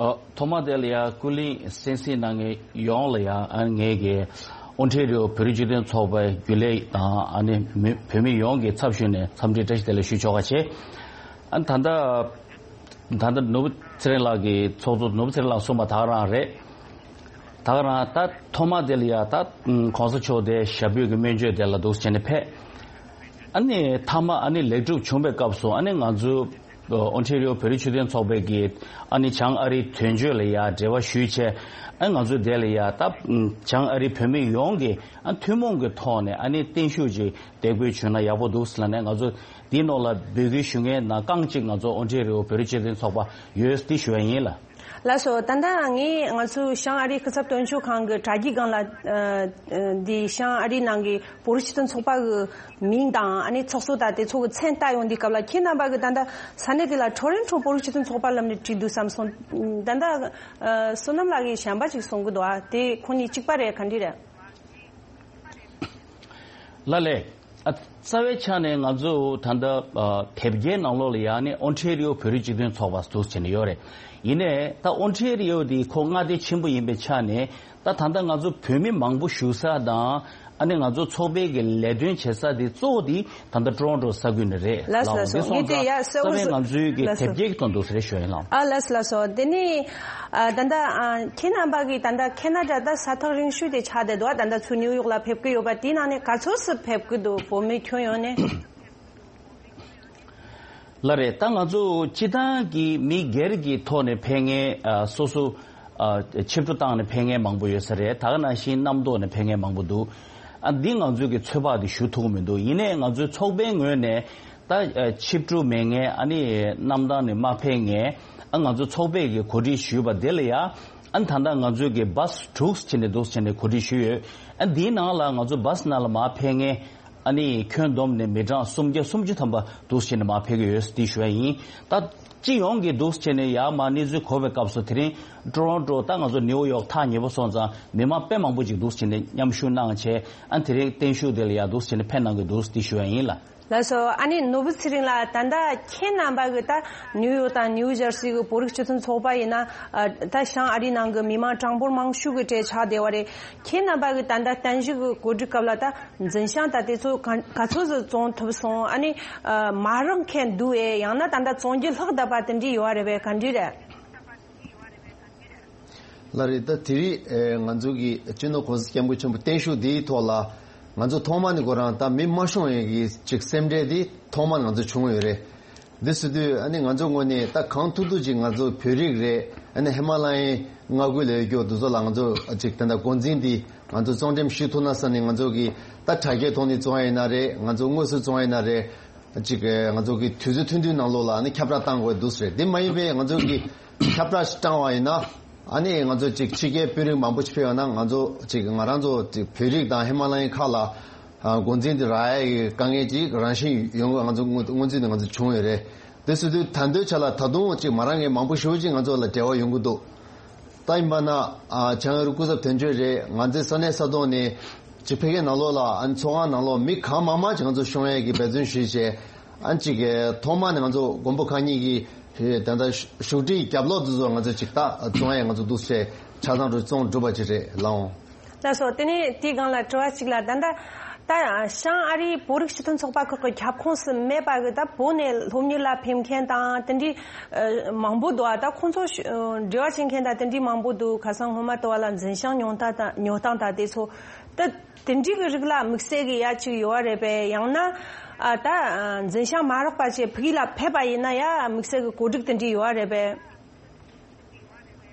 ཨ། ཐོག་མ་དེ་ལ་ཡང་ཀུན་གླེང་གསན་གཟིགས་གནང་མཁན་ཡོངས་ལ་ཡང་ཨ། ངས་ཀྱི་ ཨོན་ཊེ་རི་ཡོ་བོད་རིགས་སྤྱི་མཐུན་ཚོགས་པའི་རྒྱུན་ལས་དང་ཨ་ནི་མི་བོད་མི་ཡོངས་ཀྱི་ཚབ་ཞུས་ནས་འཚམས་འདྲི་བཀྲ་ཤིས་བདེ་ལེགས་ཞུ་ཆོག་པ་བྱས། ཨ་ནི་ད་ལྟ་ད་ལྟ་ནོར་བུ་ཚེ་རིང་ལགས་ཀྱིས་ཚོགས་གཙོ་ནོར་བུ་ཚེ་རིང་ལགས་གསུངས་པ་ད་ག་རང་རེད། ད་ག་རང་ད་ཐོག་མ་དེ་ལ་ཡ་ད་གོང་ས་མཆོག་དེ་ཞབས་པུས་ཀྱི་སྨན་བཅོས་དེ་ལ་འདུག་བྱས་ནས་ཕེབས། ཨ་ནི་མཐའ་མ་ཨ་ནི་ལེགས་གྲུབ་བྱུང་བའི་སྐབས་སུ་ཨ་ནི་ང་ཚོ་ཨོན་ཊེ་རི་ཡོ་བོད་རིགས་སྤྱི་མཐུན་ཚོགས་པའི་གི་ཨ་ནི་བྱང་ཨ་རིའི་དོན་གཅོད་ལ་ཡ་འབྲེལ་བ་ཞུས་བྱས། ཨ་ང་ཚོ་དེ་ལ་ཡ་ད་བྱང་ཨ་རིའི་བོད་མི་ཡོངས་ཀྱི་ཨ་ཐུན་མོང་གི་ཐོག་ནས་ཨ་ནི་བརྟན་བཞུགས་ཀྱི་འདེགས་འབུལ་བྱུང་ན་ཡག་པོ་འདུག་ཟེར་ལབ་ནས་ང་ཚོ་འདིའི་ནང་ལ་འབོད་སྐུལ་ཞུ་མཁན་ནང་རྐང་གཅིག་ང་ཚོ་ཨོན་ཊེ་རི་ཡོ་བོད་རིགས་སྤྱི་མཐུན་ཚོགས་པ་ཡོད་འདི་ཞུ་བ་ཡིན་ལ། ལགས་སོ། ད་ལྟ་ངས་ང་ཚོའི་བྱང་ཨ་རིའི་སྐུ་ཚབ་དོན་གཅོད་ཁང་གི་དྲ་རྒྱའི་སྒང་ལ་ཨ་ཨ་འདི་བྱང་ཨ་རིའི་ནང་གི་བོད་རིགས་སྤྱི་མཐུན་ཚོགས་པ་གི་མིང་དང་ཨ་ནི་ཚོགས་གཙོ་དང་དེ་ཚོ་གི་མཚན་བཏགས་ཡོང་དུས་སྐབས་ལ་ཁྱེད་རྣམ་པ་གི་ད་ལྟ་ས་གནས་དེ་ལ་ཊོ་རོན་ཊོ་བོད་རིགས་སྤྱི་མཐུན་ཚོགས་པ་ལབ་ནས་བྲིས་འདུག་བསམ་སོང་། ད་ལྟ་ཨ་བསོད་ནམས་ལགས་ཀྱིས་གཞན་པ་ཅིག་གསུང་གི་འདུག་ཨ་དེ་ཁོ་གཉིས་གཅིག་པ་རེད་ག་འདྲ་རེད། ལགས་ལས། ཨ་རྩ་བའི་ཆ་ནས་ང་ཚོ་ད་ལྟ་ཨ་དེབ་སྐྱེལ་ནང་ལོགས་ལ་ཡང་ནི་ཨོན་ཊེ་རི་ཡོ་བོད་རིགས་སྤྱི་མཐུན་ཚོགས་པ་འདུག་བྱས་ནས་ཡོད་རེད། ཡིན་ནའི་ད་ཨོན་ཊེ་རི་ཡོ་འདི་ཁོ་མངའ་སྡེ་ཆེན་པོ་ཡིན་པའི་ཆ་ནས་ད་ད་ལྟ་ང་ཚོ་བོད་མི་མང་པོ་བཞུགས་ས་དང་ཨ་ནི་ང་ཚོ་ཚོགས་པའི་གི་ལས་དོན་བྱེད་ས་དེ་གཙོ་བོ་དེ་ད་ལྟ་ཊོ་རོན་ཊོ་ས་ཁུལ་ནས་རེད། ལགས་སོ། ལགས་སོ། འདི་སོང་ཙང་རྩ་བའི་ང་ཚོའི་གི་དེབ་སྐྱེལ་གི་དོན་དུ་རེད་ཞུ་ཡིན་ལགས། ཨ་ལགས་སོ་ལགས་སོ། དེ་ནི་ཨ་ད་ལྟ་ཨ་ཁྱེད་རྣམ་པ་གི་ད་ལྟ་ཁེ་ན་ཌ་ད་ས་ཐག་རིང་ཤོས་དེ་ཆགས་བསྡད་འདུག་ད་ལྟ་ཚུར་ནིའུ་ཡོག་ལ་ཕེབས་ཀྱི་ཡོད་པ་དེའི་ནང་ནས་ག་ཚོད་སུ་ཕེབས་ཀྱི་འདུག་བོད་མི་ཁྱོན་ཡོངས་ནས། ལགས་རེད། ད་ང་ཚོ་སྤྱི་བཏང་གི་མི་སྒེར་གྱི་ཐོག་ནས་ཕེབས་མཁན་ཨ་སོ་སོ་ཨ་ཆིབས་བསྒྱུར་བཏང་ནས་ཕེབས་མཁན་མང་པོ་ཡོད་ས་རེད། ད་ག་ནང་བཞིན་རྣམ་རྟོག་ནས་ཕེབས་མཁན་མང་པོ་འདུག་ཨ་འདི་ང་ཚོའི་གི་ཚོད་དཔག་དེ་ཞུ་ཐུབ་ཀྱི་མི་འདུག་ཡིན་ནའི་ང་ཚོའི་ཚོགས་པའི་ངོས་ནས་ད་ཨ་ཆིབས་བསྒྱུར་མེད་མཁན་ཨ་ནི་གནམ་ཐང་ནས་མ་ཕེབས་མཁན་ཨ་ང་ཚོ་ཚོགས་པས་གི་གོ་སྒྲིག་ཞུས་པ་དེ་ལ་ཡ་ཨ་ད་ལྟ་ང་ཚོའི་གི་བཱས་དྲུག་ཕྱིན་ནས་འདུག་ཕྱིན་ནས་གོ་སྒྲིག་ཞུས་ཡོད། ཨ་འདིའི་ནང་ལ་ང་ཚོ་བཱས་ནང་ལ་མ་ཕེབས་མཁན་ཨ་ནི་ཁྱོན་བསྡོམས་ནས་མི་གྲངས་སུམ་བརྒྱ་སུམ་ཅུ་ཐམ་པ་འདུག་ཕྱིན་ནས་མ་ཕེབས་ཀྱི་ཡོད་འདི་ཞུ་བ་ཡིན། ད་སྤྱི་ཡོངས་ཀྱི་འདུག་ཕྱིན་ནས་ཡར་མར་གནས་ཚུལ་གོ་བའི་སྐབས་སུ་དེ་རིང་ཊོ་རོན་ཊོ་ད་ང་ཚོ་ནིའུ་ཡོག་ཐག་ཉེ་པོ་སོང་ཙང་མི་མང་དཔེ་མང་པོ་ཅིག་འདུག་ཕྱིན་ནས་མཉམ་ཞུགས་གནང་བྱས་ཨ་དེ་རིང་བརྟན་བཞུགས་དེ་ལ་ཡར་འདུག་ཕྱིན་ནས་ཕེབས་གནང་གི་འདུག་འདི་ཞུ་བ་ཡིན་ལ། ལགས་སོ། ཨ་ནི་ནོར་བུ་ཚེ་རིང་ལགས། ད་ལྟ་ཁྱེད་རྣམ་པ་གི་ད་ནིའུ་ཡོག་དང་ནིའུ་ཇར་སི་གི་བོད་རིགས་སྤྱི་མཐུན་ཚོགས་པ་ཡིན་ན་ཨ་ད་བྱང་ཨ་རིའི་ནང་གི་མི་མང་གྲངས་འབོར་མང་ཤོས་ཀྱི་གྲས་ཆགས་བསྡད་པ་རེད། ཁྱེད་རྣམ་པ་གི་ད་ལྟ་བརྟན་བཞུགས་ཀྱི་གོ་སྒྲིག་སྐབས་ལ་ད་འཛིན་བྱང་ད་དེ་ཚོ་ག་ག་ཚོད་ཙམ་བཙོང་ཐུབ་སོང་། ཨ་ནི་ཨ་མ་རག་མཁན་འདུག་ཨེ། ཡང་ན་ད་ལྟ་བཙོང་རྒྱུ་ལྷག་བསྡད་པ་དེ་འདྲ་ཡོད་རེད་པས། ག་འདྲ་རེད། ལགས་རེད། ད་དེ་རིང་ཨེ་ང་ཚོ་གི་སྤྱི་ནོར་གོང་ས་སྐྱབས་མགོན་ཆེན་པོ་བརྟན་བཞུགས་འདིའི་ཐོག་ལ་ང་ཚོ་ཐོག་མ་ནས་ཁོ་རང་ད་མི་མ་ཤོང་ཡས་ཀྱི་ཅིག་སེམས་ཁྲལ་འདི་ཐོག་མར་ང་ཚོ་བྱུང་ཡོད་རེད། འདི་ཟེར་དུས་ཨ་ནི་ང་ཚོ་ངོས་ནས་ད་གང་ཐུབ་ཐུབ་ཅིག་ང་ཚོ་བོད་རིགས་རེད། ཨ་ནི་ཧི་མ་ལ་ཡའི་མངའ་ཁུལ་ལ་ཡོད་རྒྱུ་འདི་ཚོ་ལ་ང་ཚོ་ཅིག་ད་ལྟ་འགོ་འཛིན་འདི་ང་ཚོ་བཙོང་འགྲེམས་ཞུ་ཐུབ་ན་བསམ་ནས་ང་ཚོ་གི་ད་དྲ་རྒྱའི་ཐོག་ནས་བཙོང་ཡ་ཡིན་ན་རེད། ང་ཚོ་དངོས་སུ་བཙོང་ཡ་ཡིན་ན་རེད། ཅིག་ང་ཚོ་གི་དུས་ཚོད་ཐུང་ཐུང་ནང་ལོགས་ལ་ནི་ཁྱབ་བསྒྲགས་བཏང་དགོས་འདུག་ཟེར། དེ་མ་ཡིན་པའི་ང་ཚོ་གི་ཁྱབ་བསྒྲགས་ཤིག་བཏང་བ་ཡིན་ན་ཨ་ནི་ང་ཚོ་ཅིག་ཕྱི་རྒྱལ་དཔོན་རིགས་མང་པོ་ཞིག་ཕེབས་ཡོང་ན་ང་ཚོ་ཅིག་ང་རང་ཚོ་ཅིག་བོད་རིགས་དང་ཧི་མ་ལ་ཡའི་ཁག་ལ་འགོ་འཛིན་དེ་རག་ཡ་གི་དཀའ་ངལ་ཅིག་རང་བཞིན་ཡོང་གི་ང་ཚོ་སྔོན་ཚུད་ནས་ང་ཚོ་བྱུང་ཡོད་རེད། དེ་སོང་དུས་ད་ལྟའི་ཆ་ལ་ད་དུང་ཅིག་མ་རག་མཁན་མང་པོ་ཞེ་པོ་ཅིག་ང་ཚོ་ལ་འབྲེལ་བ་ཡོང་གི་འདུག་ད་ཡིན་པ་ན་ཨ་བྱང་ཨ་རི་སྐུ་ཚབ་དོན་གཅོད་རེད། ང་ཚོའི་ས་གནས་ས་ཐོག་ནས་ཅིག་ཕ་གིའི་ནང་ལོགས་ལ་ཨ་ནི་ཚོགས་ཁང་ནང་ལོགས་མི་གང་མང་མང་ཅིག་ང་ཚོ་ཤོང་ཡས་ཀྱི་འབད་བརྩོན་ཞུས་བྱས། ཨ་ནི་ཅིག་ཐོག་མ་ནས་ང་ཚོ་མགོན་པོ་གང་ཉིད་ཀྱི་ད་ལྟ་བཞུགས་ཁྲིའི་རྒྱབ་ལོགས་དེ་ཚོ་ང་ཚོ་ཅིག་ད་བཙོང་ཡས་ང་ཚོ་འདུག་སེ་ཆ་ཚང་རུ་བཙོང་གྲུབ་པ་ཅིག་རེད་ལགས་འོང་། ལགས་སོ། དེ་ནས་དེའི་སྒང་ལ་དྲི་བ་གཅིག་ལ། ད་ལྟ་ད་བྱང་ཨ་རིའི་བོད་རིགས་སྤྱི་མཐུན་ཚོགས་པ་ཁག་གི་ཁྱབ་ཁོངས་སུ་མེད་པ་གི་ད་བོད་ནས་སློབ་གཉེར་ལ་ཕེབས་མཁན་དང་དེ་འདྲའི་ཨ་མང་པོ་འདུག་ཨ་ད་ཁོང་ཚོ་ཤ་འབྲེལ་བ་བྱེད་མཁན་དང་དེ་འདྲའི་མང་པོ་འདུག་ཁ་སང་སྔོན་མ་ལྟ་བ་ལ་འཛིན་བྱང་ཉོ་སྟངས་དང་ཉོ་སྟངས་དང་དེ་ཚོ་ད་དེ་འདྲའི་གི་རིགས་ལ་དམིགས་བསལ་གི་ཡ་གཅིག་ཡོད་རེད་པས། ཡང་ན་ཨ་ད་འཛིན་བྱང་མ་རག་པ་བྱས་ཕ་གི་ལ་ཕེབས་པ་ཡིན་ན་ཡ་དམིགས་བསལ་གི་གོ་སྒྲིག་དེ་འདྲའི་ཡོད་རེད་པས།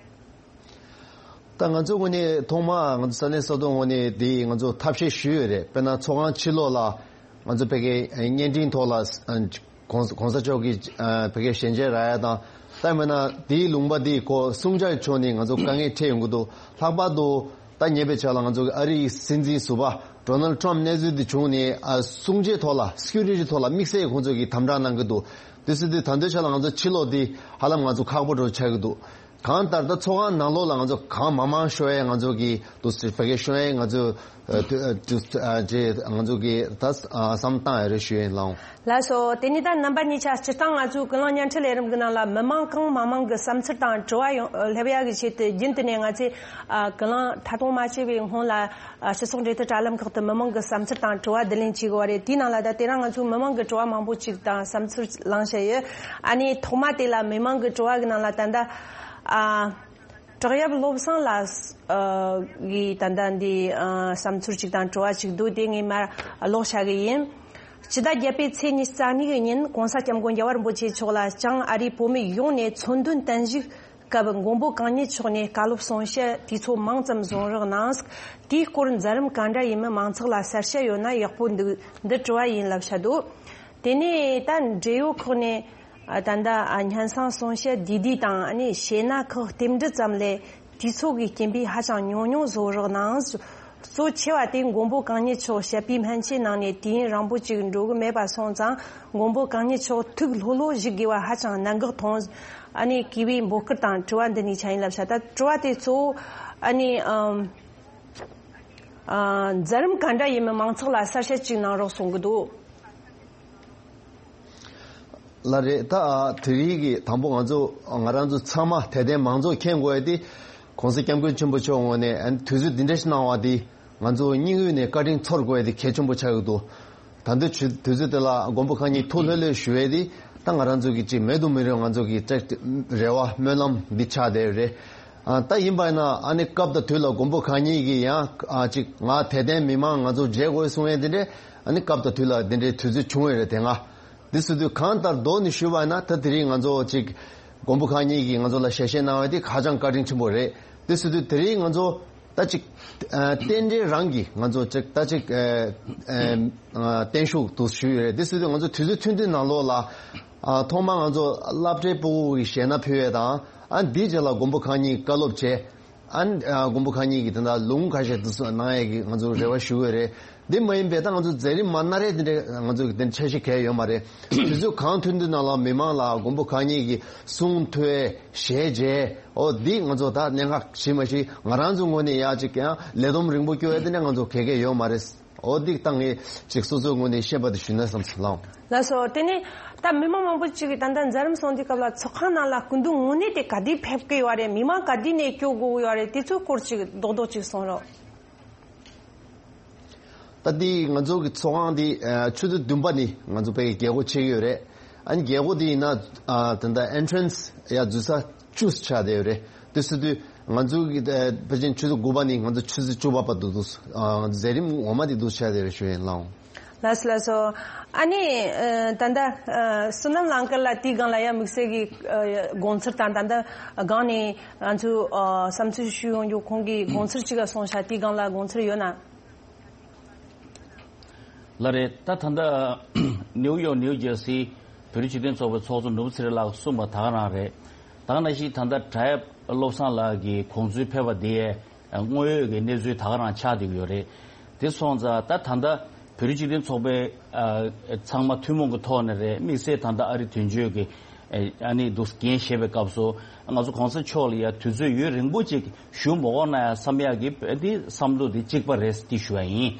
ད་ང་ཚོ་ངོས་ནས་ཐོག་མར་ང་ཚོ་ས་གནས་ས་ཐོག་ངོས་ནས་དེ་ང་ཚོ་ཐབས་ཤེས་ཞུས་ཡོད་རེད། དཔེར་ན་ཚོགས་ཁང་ཕྱི་ལོགས་ལ་ང་ཚོ་ཕ་གིའི་བརྙན་འཕྲིན་ཐོག་ལ་གོང་གོང་ས་མཆོག་གི་ཕ་གིའི་ཞལ་མཇལ་རག་ཡ་དང་། ད་མིན་ན་དེའི་ལུང་པ་དེའི་སྐོར་སྲུང་བྱ་ཕྱོགས་ནས་ང་ཚོ་དཀའ་ངལ་འཕྲད་ཡོང་གི་འདུག་ལྷག་པར་དུ་ད་ཉེ་བའི་ཆར་ལ་ང་ཚོ་ཨ་རིའི་སྲིད་འཛིན་ཟུར་པ་ཌོ་ནལ་ཊམ་གནས་ཚུལ་དེ་བྱུང་ནས་ཨ་སྲུང་བྱའི་ཐོག་ལ་སི་ཀུ་རི་ཊི་ཐོག་ལ་དམིགས་བསལ་ཁོང་ཚོ་གིས་དམ་དྲག་གནང་གི་འདུག་དེ་སྲིད་དུས་ད་ལྟའི་ཆ་ལ་ང་ཚོ་ཕྱི་ལོགས་དེ་ཧ་ལམ་ང་ཚོ་ཁག་པོ་འདྲ་བོ་ཆགས་ཀྱི་འདུག་གང་ལྟར་ད་ཚོགས་ཁང་ནང་ལོགས་ལ་ང་ཚོ་གང་མང་མང་ཤོག་ཡས་ང་ཚོ་གི་དུ་སི་བེ་གེ་ཤོག་ཡས་ང་ཚོ་ཨ་དུ་ཨ་དུ་ཨ་ཅེ་ང་ཚོ་གི་ད་ཨ་བསམ་བཏང་ཡ་རེ་ཞུ་ཡིན་ལགས། ལགས་སོ། དེ་ནས་ད་རྣམ་པ་གཉིས་ཆ་སྤྱིར་བཏང་ང་ཚོའི་ཀུན་གླེང་བརྙན་འཕྲིན་ལས་རིམ་གྱི་ནང་ལ་མི་མང་གང་མང་མང་གི་བསམ་ཚུལ་དང་དྲི་བ་ཡོང་སླེབས་ཡ་གི་ཆེད་དུ་རྒྱུན་དུ་ནས་ང་ཚོས་ཨ་ཀུན་གླེང་མཐའ་གཏོང་མ་བྱས་པའི་སྔོན་ལ་ཨ་སྤྱི་ཚོགས་འབྲེལ་མཐུད་དྲ་ལམ་ཁག་ཏུ་མི་མང་གི་བསམ་ཚུལ་དང་དྲི་བ་བསྡུ་ལེན་བྱེད་དགོས་པ་རེད། དེའི་ནང་ལ་ད་དེ་རིང་ང་ཚོས་མི་མང་གི་དྲི་བ་མང་པོ་ཅིག་དང་བསམ་ཚུལ་བླངས་བྱས་ཡོད། ཨ་ནི་ཐོག་མ་དེ་ལ་མི་མང་གི་དྲི་བ་གི་ནང་ལ་ད་ལྟ་ཨ། བྲག་གཡབ་བློ་བཟང་ལགས་ཨ་གིས་ད་ལྟ་འདི་ཨ་བསམ་ཚུལ་ཅིག་དང་དྲི་བ་ཅིག་འདུག་དེ་ངས་མར་ཀློག་བྱ་གི་ཡིན། སྤྱི་ཟླ་བརྒྱད་པའི་ཚེས་ཉི་ཤུ་རྩ་གཉིས་ཀྱི་ཉིན་༸གོང་ས་༸སྐྱབས་མགོན་རྒྱལ་བ་རིན་པོ་ཆེ་མཆོག་ལ་བྱང་ཨ་རིའི་བོད་མི་ཡོངས་ནས་མཚོན་དོན་བརྟན་བཞུགས་སྐབས་མགོན་པོ་གང་ཉིད་མཆོག་ནས་བཀའ་སློབ་གསུང་བཤད་དུས་ཚོད་མང་ཙམ་བཟུང་རོགས་གནང་། དེའི་སྐོར་མཛད་རིམ་ག་འདྲ་ཡིན་མིན་མང་ཚོགས་ལ་གསལ་བཤད་ཡོད་ན་ཡག་པོ་འདུག་འདི་དྲི་བ་ཡིན་ལབ་བྱ་འདུག་དེ་ནས་ད་འབྲེལ་ཡོད་ཁག་ནས་ཨ་ད་ལྟ་ཨ་སྙན་སེང་གསུང་བཤད་བསྡུས་བསྡུས་དང་ཨ་ནི་ཞེད་སྣང་ཁག་རྟེན་འབྲེལ་ཙམ་ལས་དུས་ཚོད་ཀྱི་རྐྱེན་པས་ཧ་ཅང་ཉུང་ཉུང་བཟོ་རོགས་གནང་། གཙོ་ཆེ་བ་དེ་མགོན་པོ་གང་ཉིད་མཆོག་བཤད་པའི་སྨན་ཆས་ནང་ནས་དུས་ཡུན་རིང་པོ་ཅིག་འགྲོ་གི་མེད་པ་སོང་ཙང་མགོན་པོ་གང་ཉིད་མཆོག་ཐུགས་ལྷོད་ལྷོད་བཞུགས་དགོས་པ་ཧ་ཅང་གནད་འགག་མཐོང་། ཨ་ནི་གུས་པའི་འབོད་སྐུལ་དང་དྲི་བ་འདི་གཉིས་ཆ་ཡིན་ལབ་བྱ། ད་དྲི་བ་དེ་གཙོ་བོ་ཨ་ནི་ཨམ་ཨ་མཛད་རིམ་ག་འདྲ་ཡིན་མིན་མང་ཚོགས་ལ་གསལ་བཤད་ཅིག་གནང་རོགས་གསུང་གི་འདུག་ལགས་རེད། ད་དེ་རིང་གི་དང་པོ་ང་ཚོ་ང་རང་ཚོ་ཚང་མ་དད་ལྡན་མང་ཚོགས་མཁྱེན་དགོས་ཡ་དེ་གོང་ས་སྐྱབས་མགོན་ཆེན་པོ་མཆོག་ངོས་ནས་ཨ་ནི་དུས་ཚོད་འདི་འདྲ་ཞིག་གནང་བ་དེ་ང་ཚོ་སྙིང་དབུས་ནས་བཀའ་དྲིན་ཚོར་དགོས་ཡ་དེ་གལ་ཆེན་པོ་ཆགས་ཀྱི་འདུག་ད་ལྟའི་དུས་ཚོད་དེ་ལ་མགོན་པོ་གང་ཉིད་ཐུགས་ལྷོད་ལྷོད་ཞུ་ཡས་དེ་ད་ང་རང་ཚོ་གི་ཅིག་མེད་དུ་མི་རུང་ང་ཚོ་གི་ཅིག་རེ་བ་སྨོན་ལམ་འདི་ཆགས་བསྡད་ཡོད་རེད། ཨ་ད་ཡིན་པ་ཡིན་ན་ཨ་ནི་སྐབས་དང་དུས་ལ་མགོན་པོ་གང་ཉིད་ཀྱི་ཡང་ཨ་ཅིག་ང་དད་ལྡན་མི་མང་ང་ཚོ་མཇལ་དགོས་གསུང་ཡས་དེ་འདྲས་ཨ་ནི་སྐབས་དང་དུས་ལ་དེ་འདྲའི་དུས་ཚོད་བྱུང་ཡོད་རེད་དེ་སྔ། འདི་སུ་དུས་གང་ལྟར་མདོ་ནས་ཞུས་པ་ཡིན་ན་ད་དེ་རིང་ང་ཚོ་ཅིག་མགོན་པོ་གང་ཉིད་ཀྱིས་ང་ཚོ་ལ་ཞལ་བཞེས་གནང་བ་དེ་ཧ་ཅང་བཀའ་དྲིན་ཆེན་པོ་རེད། འདི་སུ་དུས་དེ་རིང་ང་ཚོ་ད་ཅིག་ཨ་རྟེན་འབྲེལ་རང་གིས་ང་ཚོ་ཅིག་ད་ཅིག་ཨ་ཨ་ཨ་བརྟན་བཞུགས་དུ་ཞུས་ཡོད་རེད། འདི་སུ་དུས་ང་ཚོ་དུས་ཚོད་ཐུང་ཐུང་ནང་ལོགས་ལ་ཨ་ཐོག་མར་ང་ཚོ་སློབ་གྲྭའི་སྤུ་གུ་གི་ཞལ་སྣ་ཕུལ་ཡས་དང་ཨ་འདིའི་རྗེས་ལ་མགོན་པོ་གང་ཉིད་བཀའ་སློབ་བྱས། ཨ་ནི་ཨ་མགོན་པོ་གང་ཉིད་ཀྱིས་དེ་འདྲ་ལུང་ཁ་ཤས་དུ་སོང་གནང་ཡས་ཀྱི་ང་ཚོ་རེ་བ་ཞུ་གི་རེད། འདི་མ་ཡིན་པའི་ད་ང་ཚོ་མཛད་རིམ་མ་གནང་རེད་དེ་འདྲ་ང་ཚོ་གི་དེ་འཆར་གཞི་གང་ཡང་ཡོད་མ་རེད། དུས་ཚོད་གང་ཐུང་ཐུང་ནང་ལ་མི་མང་ལ་མགོན་པོ་གང་ཉིད་ཀྱི་གསུང་ཐོས་ཞལ་མཇལ་འོ་འདི་ང་ཚོ་ད་གནད་འགག་ཞིག་མ་ཞིག་ང་རང་ཚོ་ངོས་ནས་ཡག་ཅིག་ཀྱང་ལས་བསྡོམས་རིང་པོ་སྐྱོ་ཡས་དེ་འདྲ་ང་ཚོ་ག་གེ་ཡོད་མ་རེད། འོ་འདི་ད་ངས་ཅིག་སོ་སོའི་ངོས་ནས་ཤེས་པ་དེ་ཞུས་ན་བསམ་སོང་ལགས། ལགས་སོ། དེ་ནས་ད་མི་མང་མང་པོ་ཅིག་གིས་ད་ལྟ་མཛད་རིམ་སོང་དུས་སྐབས་ལ་ཚོགས་ཁང་ནང་ལ་སྐུ་མདུན་དངོས་གནས་དེ་ག་དུས་ཕེབས་ཀྱི་ཡོད་རེད། མི་མང་ག་དུས་ནས་སྐྱོད་དགོས་ཀྱི་ཡོད་རེད། དེ་ཚོའི་སྐོར་ཅིག་རྡོག་རྡོག་ཅིག་གསུང་རོགས། ད་འདི་ང་ཚོ་གི་ཚོགས་ཁང་འདི་ཨ་ཆུ་ཚོད་བདུན་པ་ནས་ང་ཚོ་ཕ་གི་རྒྱལ་སྒོ་ཕྱེ་གི་ཡོད་རེད། ཨ་ནི་རྒྱལ་སྒོ་འདི་ཡིན་ན་ཨ་ད་ལྟ་ཨེན་ཊི་རན་སི་ཡ་འཛུལ་ས་བཅུ་ཆགས་བསྡད་ཡོད་རེད། དེ་སོང་དུས་ང་ཚོ་གི་ཨ་ཕལ་ཆེར་ཆུ་ཚོད་དགུ་པ་ནས་ང་ཚོ་ཆུ་ཚོད་བཅུ་པ་བར་དུ་འདུག་ཨ་མཛད་རིམ་ངོ་མ་འདི་འདུག་ཆགས་བསྡད་ཡོད་རེད་ཞུ་ཡིན་ལགས། ལགས་སོ་ལགས་སོ། ཨ་ནི་ཨ་ད་ལྟ་ཨ་བསོད་ནམས་ལགས་ཀྱི་ལ་དེའི་སྒང་ལ་ཡ་དམིགས་བསལ་གྱི་ཨ་དགོངས་ཚུལ་དང་ད་ལྟ་སྒང་ནས་ང་ཚོས་ཨ་བསམ་ཚུལ་ཞུ་ཡོང་རྒྱུ་ཁོང་གིས་དགོངས་ཚུལ་ཅིག་ག་གསུངས་ཤག་དེའི་སྒང་ལ་དགོངས་ཚུལ་ཡོད་ན། ལགས་རེད། ད་ད་ལྟ་ནིའུ་ཡོག་ནིའུ་ཇར་སི་བོད་རིགས་སྤྱི་མཐུན་ཚོགས་པའི་ཚོགས་གཙོ་ནོར་བུ་ཚེ་རིང་ལགས་གསུངས་པ་ད་ག་རང་རེད། ད་ག་ནང་བཞིན་ད་ལྟ་བྲག་གཡབ་བློ་བཟང་ལགས་ཀྱིས་དགོངས་ཚུལ་ཕེབས་པ་དེ་དངོས་ཡོད་ཀྱི་གནས་ཚུལ་ད་ག་རང་ཆགས་བསྡད་ཀྱི་ཡོད་རེད། དེ་སོང་ཙང་ད་ད་ལྟ་བོད་རིགས་སྤྱི་མཐུན་ཚོགས་པའི་ཨ་ཚང་མ་ཐུན་མོང་གི་ཐོག་ནས་རེད། དམིགས་བསལ་ད་ལྟ་ཨ་རི་དོན་གཅོད་ཀྱི་ཨ་ནི་འདུག་འགན་བཞེས་པའི་སྐབས་སུ་ང་ཚོ་གོང་ས་མཆོག་ལ་ཡ་དུས་ཚོད་ཡུན་རིང་པོ་ཅིག་བཞུགས་མ་དགོས་ན་ཡང་བསམ་ཡག་གི་དེ་བསམ་བློ་དེ་གཅིག་པ་རེད་དེ་ཞུ་བ་ཡིན།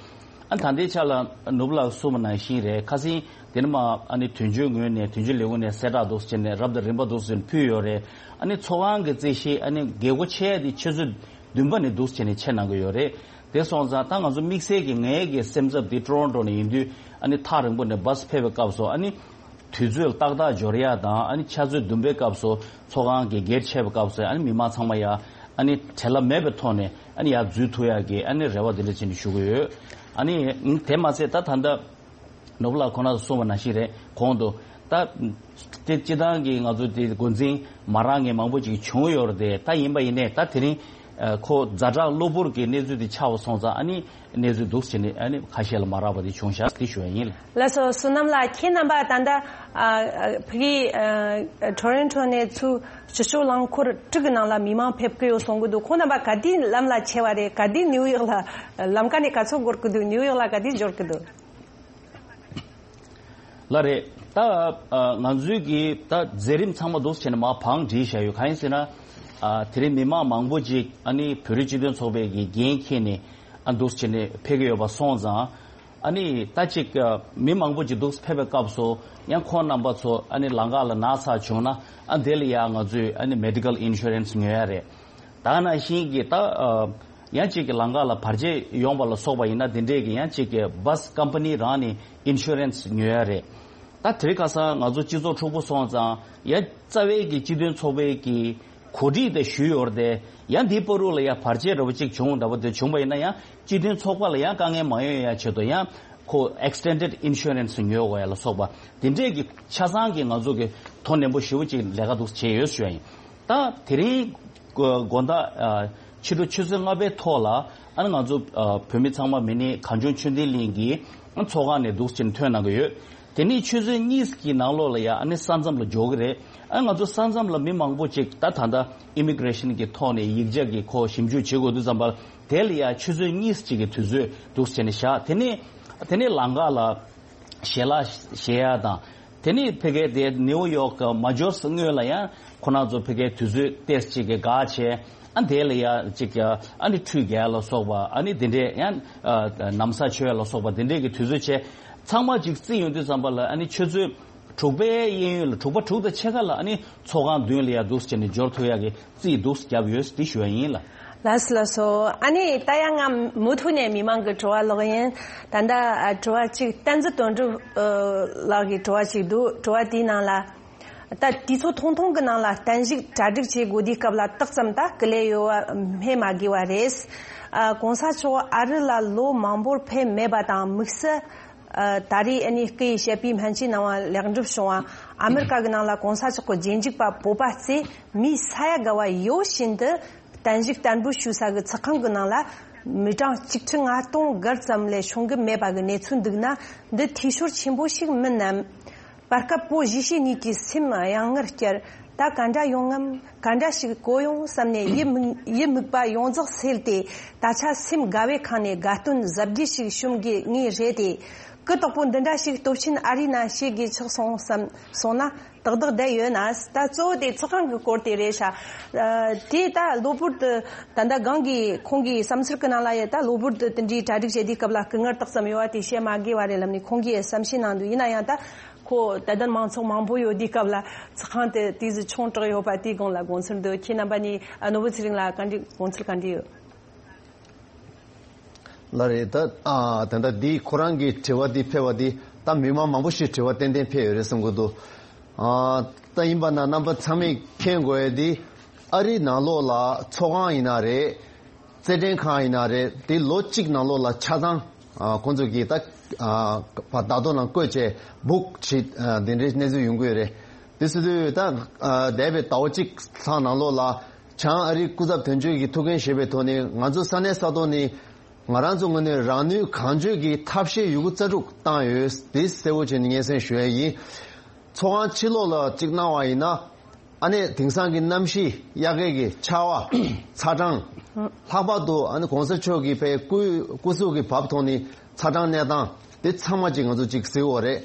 ཨ་ད་ལྟའི་ཆ་ལ་ནོར་བུ་ལགས་གསུངས་པ་ནང་བཞིན་རེད། ཁ་སང་དེ་ནས་མ་ཨ་ནི་དོན་གཅོད་ངོས་ནས་དོན་གཅོད་ལས་ཁུངས་ནས་གསལ་བསྒྲགས་འདུག་བྱས་ནས་རབ་དང་རིམ་པ་འདུག་བྱས་ནས་ཕུལ་ཡོད་རེད། ཨ་ནི་ཚོགས་ཁང་གི་རྩིས་གཞི་ཨ་ནི་རྒྱལ་སྒོ་ཕྱེ་ཡ་དེ་ཆུ་ཚོད་བདུན་པ་ནས་འདུག་བྱས་ནས་ཕྱེ་གནང་གི་ཡོད་རེད། དེ་སོང་ཙང་ད་ང་ཚོ་དམིགས་བསལ་གྱི་ངའི་གི་སེམས་འཚབ་དེ་ཀྲོ་རོན་ཀྲོ་ནས་ཡིན་དུས་ཨ་ནི་ཐག་རིང་པོ་ནས་བྷ་སི་ཕེབས་པའི་སྐབས་སུ་ཨ་ནི་དུས་ཚོད་ཏག་ཏག་འབྱོར་ཡ་དང་ཨ་ནི་ཆུ་ཚོད་བདུན་པའི་སྐབས་སུ་ཚོགས་ཁང་གི་སྒེར་ཕྱེ་བའི་སྐབས་སུ་ཨ་ནི་མི་མང་ཚང་མ་ཡ་ཨ་ནི་བྲེལ་བ་མེད་པའི་ཐོག་ནས་ཨ་ནི་ཡར་འཛུལ་ཐུབ་ཡ་གི་ཨ་ནི་རེ་བ་དེ་འདྲ་བྱས་ནས་ཞུ་གི་ཡོད། ཨ་ནི་དེ་མ་ཟད་ད་ད་ལྟ་ནོར་བུ་ལགས་ཁོ་ན་གསུངས་པ་ནང་བཞིན་རེད། གོང་དུ་ད་དེ་སྤྱི་བཏང་གི་ང་ཚོ་དེ་འགོ་འཛིན་མ་རག་མཁན་མང་པོ་ཅིག་བྱུང་ཡོད་རེད་དེ། ད་ཡིན་པ་ཡིན་ནའི་ད་དེ་རིང་ཨ་ཁོ་ཛ་དྲག་གློ་བུར་གྱི་གནས་ཚུལ་དེ་ཆགས་པ་སོང་ཙང་ཨ་ནི་གནས་ཚུལ་འདུག་བྱས་ནས་ཨ་ནི་ཁ་ཤས་ལ་མ་རག་པ་དེ་བྱུང་ཤག་དེ་ཞུ་ཡ་ཡིན། ལགས་སོ། བསོད་ནམས་ལགས་ཁྱེད་རྣམ་པ་ད་ལྟ་ཨ་ཨ་ཕ་གི་ཨ་ཊོ་རོན་ཊོ་ནས་ཚུར་སྤྱི་སྤྱོད་རླངས་འཁོར་དྲུག་གི་ནང་ལ་མི་མང་ཕེབས་ཀྱི་ཡོད་གསུང་གི་འདུག་ཁོང་རྣམ་པ་ག་དུས་ལམ་ལ་ཆས་པ་རེད། ག་དུས་ནིའུ་ཡོག་ལ་ལམ་ཀ་ནས་ག་ཚོད་འགོར་གི་འདུག་ནིའུ་ཡོག་ལ་ག་དུས་འབྱོར་གི་འདུག་ལགས་རེད། ད་ཨ་ང་ཚོའི་གི་ད་མཛད་རིམ་ཚང་མ་འདུག་བྱས་ནས་མར་བང་བསྒྲིགས་བཞག་ཡོད། གང་ཡིན་ཟེར་ན་ ཨ་དེ་རིང་མི་མང་མང་པོ་ཅིག་ཨ་ནི་བོད་རིགས་སྤྱི་མཐུན་ཚོགས་པའི་གི་འགན་འཁྱེར་ནས་ཨ་འདུག་བྱས་ནས་ཕེབས་ཀྱི་ཡོད་པ་སོང་ཙང་། ཨ་ནི་ད་ཅིག་ཨ་མི་མང་པོ་ཅིག་འདུག་ཕེབས་པའི་སྐབས་སུ་ཡང་ཁོང་རྣམ་པ་ཚོ་ཨ་ནི་ལམ་ཁ་ལ་ན་ཚ་བྱུང་ན་ཨ་དེ་ལ་ཡང་ང་ཚོས་ཨ་ནི་མེ་ཌི་ཀལ་ཨིན་ཤུ་རན་སི་ཉོ་ཡ་རེད། ད་ནང་བཞིན་གྱི་ད་ཨ་ཡང་ཅིག་གི་ལམ་ཁ་ལ་བར་ཆད་ཡོང་བ་ལ་སོགས་པ་ཡིན་ན་དེ་འདྲས་ཀྱི་ཡང་ཅིག་གི་བྷ་སི་ཀམ་པ་ནི་རང་ནས་ཨིན་ཤུ་རན་སི་ཉོ་ཡ་རེད། ད་དེ་རིང་ཁ་སང་ང་ཚོ་སྤྱི་ཚོགས་འཁྲུག་པོ་སོང་ཙང་ཡང་རྩ་བའི་གི་སྤྱི་མཐུན་ཚོགས་པའི་གི་གོ་སྒྲིག་དེ་ཞུས་ཡོད་རེད་དེ། ཡང་འདིའི་བར་དུ་ལ་ཡང་བར་ཆད་འདྲ་པོ་ཅིག་བྱུང་འདྲ་པོ་དེ་བྱུང་པ་ཡིན་ན་ཡང་སྤྱི་མཐུན་ཚོགས་པ་ལ་ཡང་དཀའ་ངལ་མ་ཡོང་ཡ་ཆེད་དུ་ཡང་ཁོ་ཨེག་སི་ཊེན་ཌེཌ་ཨིན་ཤུ་རན་སི་ཉོ་དགོས་ཡ་ལ་སོགས་པ་དེ་འདྲས་ཀྱི་ཆ་ཚང་གི་ང་ཚོ་གི་དོ་ནན་པོ་ཞེ་པོ་ཅིག་ལས་ཀ་འདུག་བྱས་ཡོད་ཞུ་ཡ་ཡིན། ད་དེ་རིང་དགོང་དག་ཕྱི་དྲོ་ཆུ་ཚོད་ལྔ་པའི་ཐོག་ལ་ཨ་ནི་ང་ཚོ་བོད་མི་ཚང་མ་མི་ནི་གངས་ལྗོངས་ཆོས་ལྡན་གླིང་གི་ཚོགས་ཁང་ནས་འདུག་ཕྱིན་ཐོན་གནང་གི་ཡོད། དེ་ནས་ཆུ་ཚོད་གཉིས་ཀྱི་ནང་ལོགས་ལ་ཡ་ཨ་ནི་ས་མཚམས་ལ་འབྱོར་གི་རེད། ཨ་ང་ཚོ་ས་མཚམས་ལ་མི་མང་པོ་ཅིག་ད་ད་ལྟ་ཨི་མི་གི་རེ་ཤན་གྱི་ཐོག་ནས་ཡིག་ཆ་གི་ཁོ་ཞིབ་འཇུག་བྱེད་དགོས་དུས་ཙམ་པ་དེ་ལ་ཡ་ཆུ་ཚོད་གཉིས་ཅིག་གི་དུས་ཚོད་འདུག་བྱས་ནས་བཞག་དེ་ནས་དེ་ནས་ལམ་ཁ་ལ་ཞལ་ལག་བཞེས་ཡ་དང་། དེ་ནས་ཕ་གིའི་དེ་ནེའུ་ཡོག་གི་མ་འབྱོར་སྔོན་ལ་ཡང་ཁོ་རང་ཚོ་ཕ་གིའི་དུས་ཚོད་ཏོག་ཙམ་ཅིག་གི་བགོ་བྱས། ཨ་དེ་ལ་ཡ་ཅིག་ཨ་ནི་ཁྲུས་རྒྱག་ལ་སོགས་པ་ཨ་ནི་དེ་འདྲས་ཡང་ཨ་ན་བཟའ་མཆོད་ལ་སོགས་པ་དེ་འདྲས་ཀྱི་དུས་ཚོད་བྱས། ཚང་མ་ཅིག་རྩིས་ཡོང་དུས་ཙམ་པ་ལ་ཨ་ནི་ཆུ་ཚོད་དྲུག་པའི་གཡས་གཡོན་ལ་དྲུག་པ་དྲུག་དང་ཕྱེད་ཀ་ལ་ཨ་ནི་ཚོགས་ཁང་མདུན་ལ་ཡ་འདུག་བྱས་ནས་འབྱོར་ཐུབ་ཡ་གི་རྩིས་འདུག་བརྒྱབ་ཡོད་དེ་ཞུ་ཡ་ཡིན་ལ། ལགས་སོ་ལགས་སོ། ཨ་ནི་ད་ཡང་ང་མུ་མཐུད་ནས་མི་མང་གི་དྲི་བ་ཀློག་ཡིན། ད་ལྟ་ཨ་དྲི་བ་གཅིག་བསྟན་འཛིན་དོན་གྲུབ་ཨ་ལགས་ཀྱི་དྲི་བ་གཅིག་འདུག་དྲི་བ་དེའི་ནང་ལ། ད་དུས་ཚོད་ཐུང་ཐུང་གི་ནང་ལ་བརྟན་བཞུགས་གྲ་སྒྲིག་བྱེད་དགོས་དུས་སྐབས་ལ་ཏོག་ཙམ་ད་སྐུ་ལས་ཡོད་པ་སྨོས་མ་དགོས་པ་རེད། ཨ་གོང་ས་མཆོག་ཨ་རི་ལ་ལོ་མང་པོར་ཕེབས་མེད་པ་དང་དམིགས་བསལ་ཨ་ད་རེས་ཨ་ནི་སྐུ་ཡི་བཤད་པའི་སྨན་བཅོས་གནང་བ་ལེགས་འགྲུབ་བྱུང་བ་ཨ་མི་རི་ཀ་གི་ནང་ལ་གོང་ས་མཆོག་གི་རྗེས་འཇུག་པ་བོད་པ་ཚོས་མིའི་ས་ཡ་ག་བ་ཡོད་བཞིན་དུ་བརྟན་བཞུགས་བསྟར་འབུལ་ཞུ་ས་གི་ཚོགས་ཁང་གི་ནང་ལ་མི་གྲངས་ཆིག་ཁྲི་ལྔ་སྟོང་བརྒལ་ཙམ་ལས་བྱུང་གི་མེད་པ་གི་གནས་ཚུལ་འདུག་ན་འདི་འཐུས་ཤོར་ཆེན་པོ་ཞིག་མིན་ནམ། བར་སྐབས་བོད་གཞིས་བྱེས་གཉིས་ཀྱི་སེམས་གཡེང་ངར་སྐྱེར། ད་ག་འདྲ་ཡོང་ངམ། ག་འདྲ་ཞིག་གོ་ཡོང་བསམ་ནས་ཡིད་མུག་ཡིད་མུག་པ་ཡོངས་རྫོགས་སེལ་ཏེ། ད་ཆ་སེམས་དགའ་བའི་ཁང་ནས་དགའ་སྟོན་གཟབ་རྒྱས་ཤིག་ཞུམ་གི་ངེས་རེད་དེ། གུ་དོག་པོ་འདི་འདྲ་ཞིག་སྟོབས་ཆེན་ཨ་རིའི་ནང་བྱེད་དགོས་ཆགས་སོང་བསམ་སོང་ན་ཏག་ཏག་བསྡད་ཡོད་ན། ད་གཙོ་བོ་དེ་ཚོགས་ཁང་གི་སྐོར་དེ་རེད་ཤག་དེ་ད་གློ་བུར་དུ་ད་ལྟ་གང་གི་ཁོང་གི་བསམ་ཚུལ་གི་ནང་ལ་ཡ་ད་གློ་བུར་དུ་དེ་འདྲའི་གྲ་སྒྲིག་བྱེད་དུས་སྐབས་ལ་སྐུ་ངལ་ཏོག་ཙམ་ཡོད་པ་དེ་བཤད་མ་དགོས་པ་རེད་ལབ་ནས་ཁོང་གིས་བསམ་ཤེས་གནང་འདུག་ཡིན་ན་ཡང་ད། ཁོ་དད་ལྡན་མང་ཚོགས་མང་པོ་ཡོད་དུས་སྐབས་ལ་ཚོགས་ཁང་དེ་དུས་སུ་ཆུང་དྲགས་ཡོད་པ་དེའི་སྒང་ལ་དགོངས་ཚུལ་འདུག་ཁྱེད་རྣམ་པ་གཉིས་ཨ་ནོར་བུ་ཚེ་རིང་ལ་བཀའ་འདྲི་དགོངས་ཚུལ་ག་འདྲ་ཡོད། ལགས་རེད། ད་ཨ་ད་ལྟ་འདི་ཁོ་རང་གི་དྲི་བ་འདི་ཕེབས་པ་འདི་ད་མི་མང་མང་པོ་ཞིག་དྲི་བ་ཏན་ཏན་ཕེབས་ཡོད་རེད་བསམ་གྱི་འདུག་ཨ་ད་ཡིན་པ་ན་རྣམ་པ་ཚང་མས་མཁྱེན་དགོས་ཡ་འདི་ཨ་རིའི་ནང་ལོགས་ལ་ཚོགས་ཁང་ཡིན་ན་རེད། རྩེད་འགྲན་ཁང་ཡིན་ན་རེད། དེ་ལོ་གཅིག་ནང་ལོགས་ལ་ཆ་ཚང་ཨ་ཁོང་ཚོ་གིས་ད་ཨ་བར་བརྡ་ཐོ་ནང་བཀོད་བྱས་བུག་བྱེད་ཨ་དེ་འདྲའི་གནས་ཚུལ་ཡོང་གི་ཡོད་རེད། དེ་སྲིད་དུ་ད་ཨ་འདས་པའི་ཟླ་བ་གཅིག་ལྷག་ནང་ལོགས་ལ་བྱང་ཨ་རིའི་སྐུ་ཚབ་དོན་གཅོད་ཀྱི་ཐུགས་འགན་བཞེས་པའི་ཐོག་ནས་ང་ཚོ་ས་གནས་ས་ཐོག་ནས་ང་རང་ཚོ་ངོས་ནས་རང་ནུས་གང་ལྕོགས་ཀྱིས་ཐབས་ཤེས་ཡོད་རྒུ་རྩལ་སྤྲུགས་བཏང་ཡོད། དེ་གསལ་པོ་བྱས་ནས་སྙན་སེང་ཞུ་ཡ་ཡིན། ཚོགས་ཁང་ཕྱི་ལོགས་ལ་གཅིག་གནང་བ་ཡིན་ན། ཨ་ནི་དེང་སང་གི་གནམ་གཤིས་དབྱར་ཁའི་གི་ཆར་པ། ཚ་གྲང་། ལྷག་པར་དུ་ཨ་ནི་གོང་ས་མཆོག་གི་པའི་སྐུ་སྐུ་གཟུགས་ཀྱི་བབ་ཐོག་ནས་ཚ་གྲང་གནས་སྟངས་དེ་ཚང་མ་ཅིག་ང་ཚོ་ཅིག་གཟིགས་དགོས་རེད།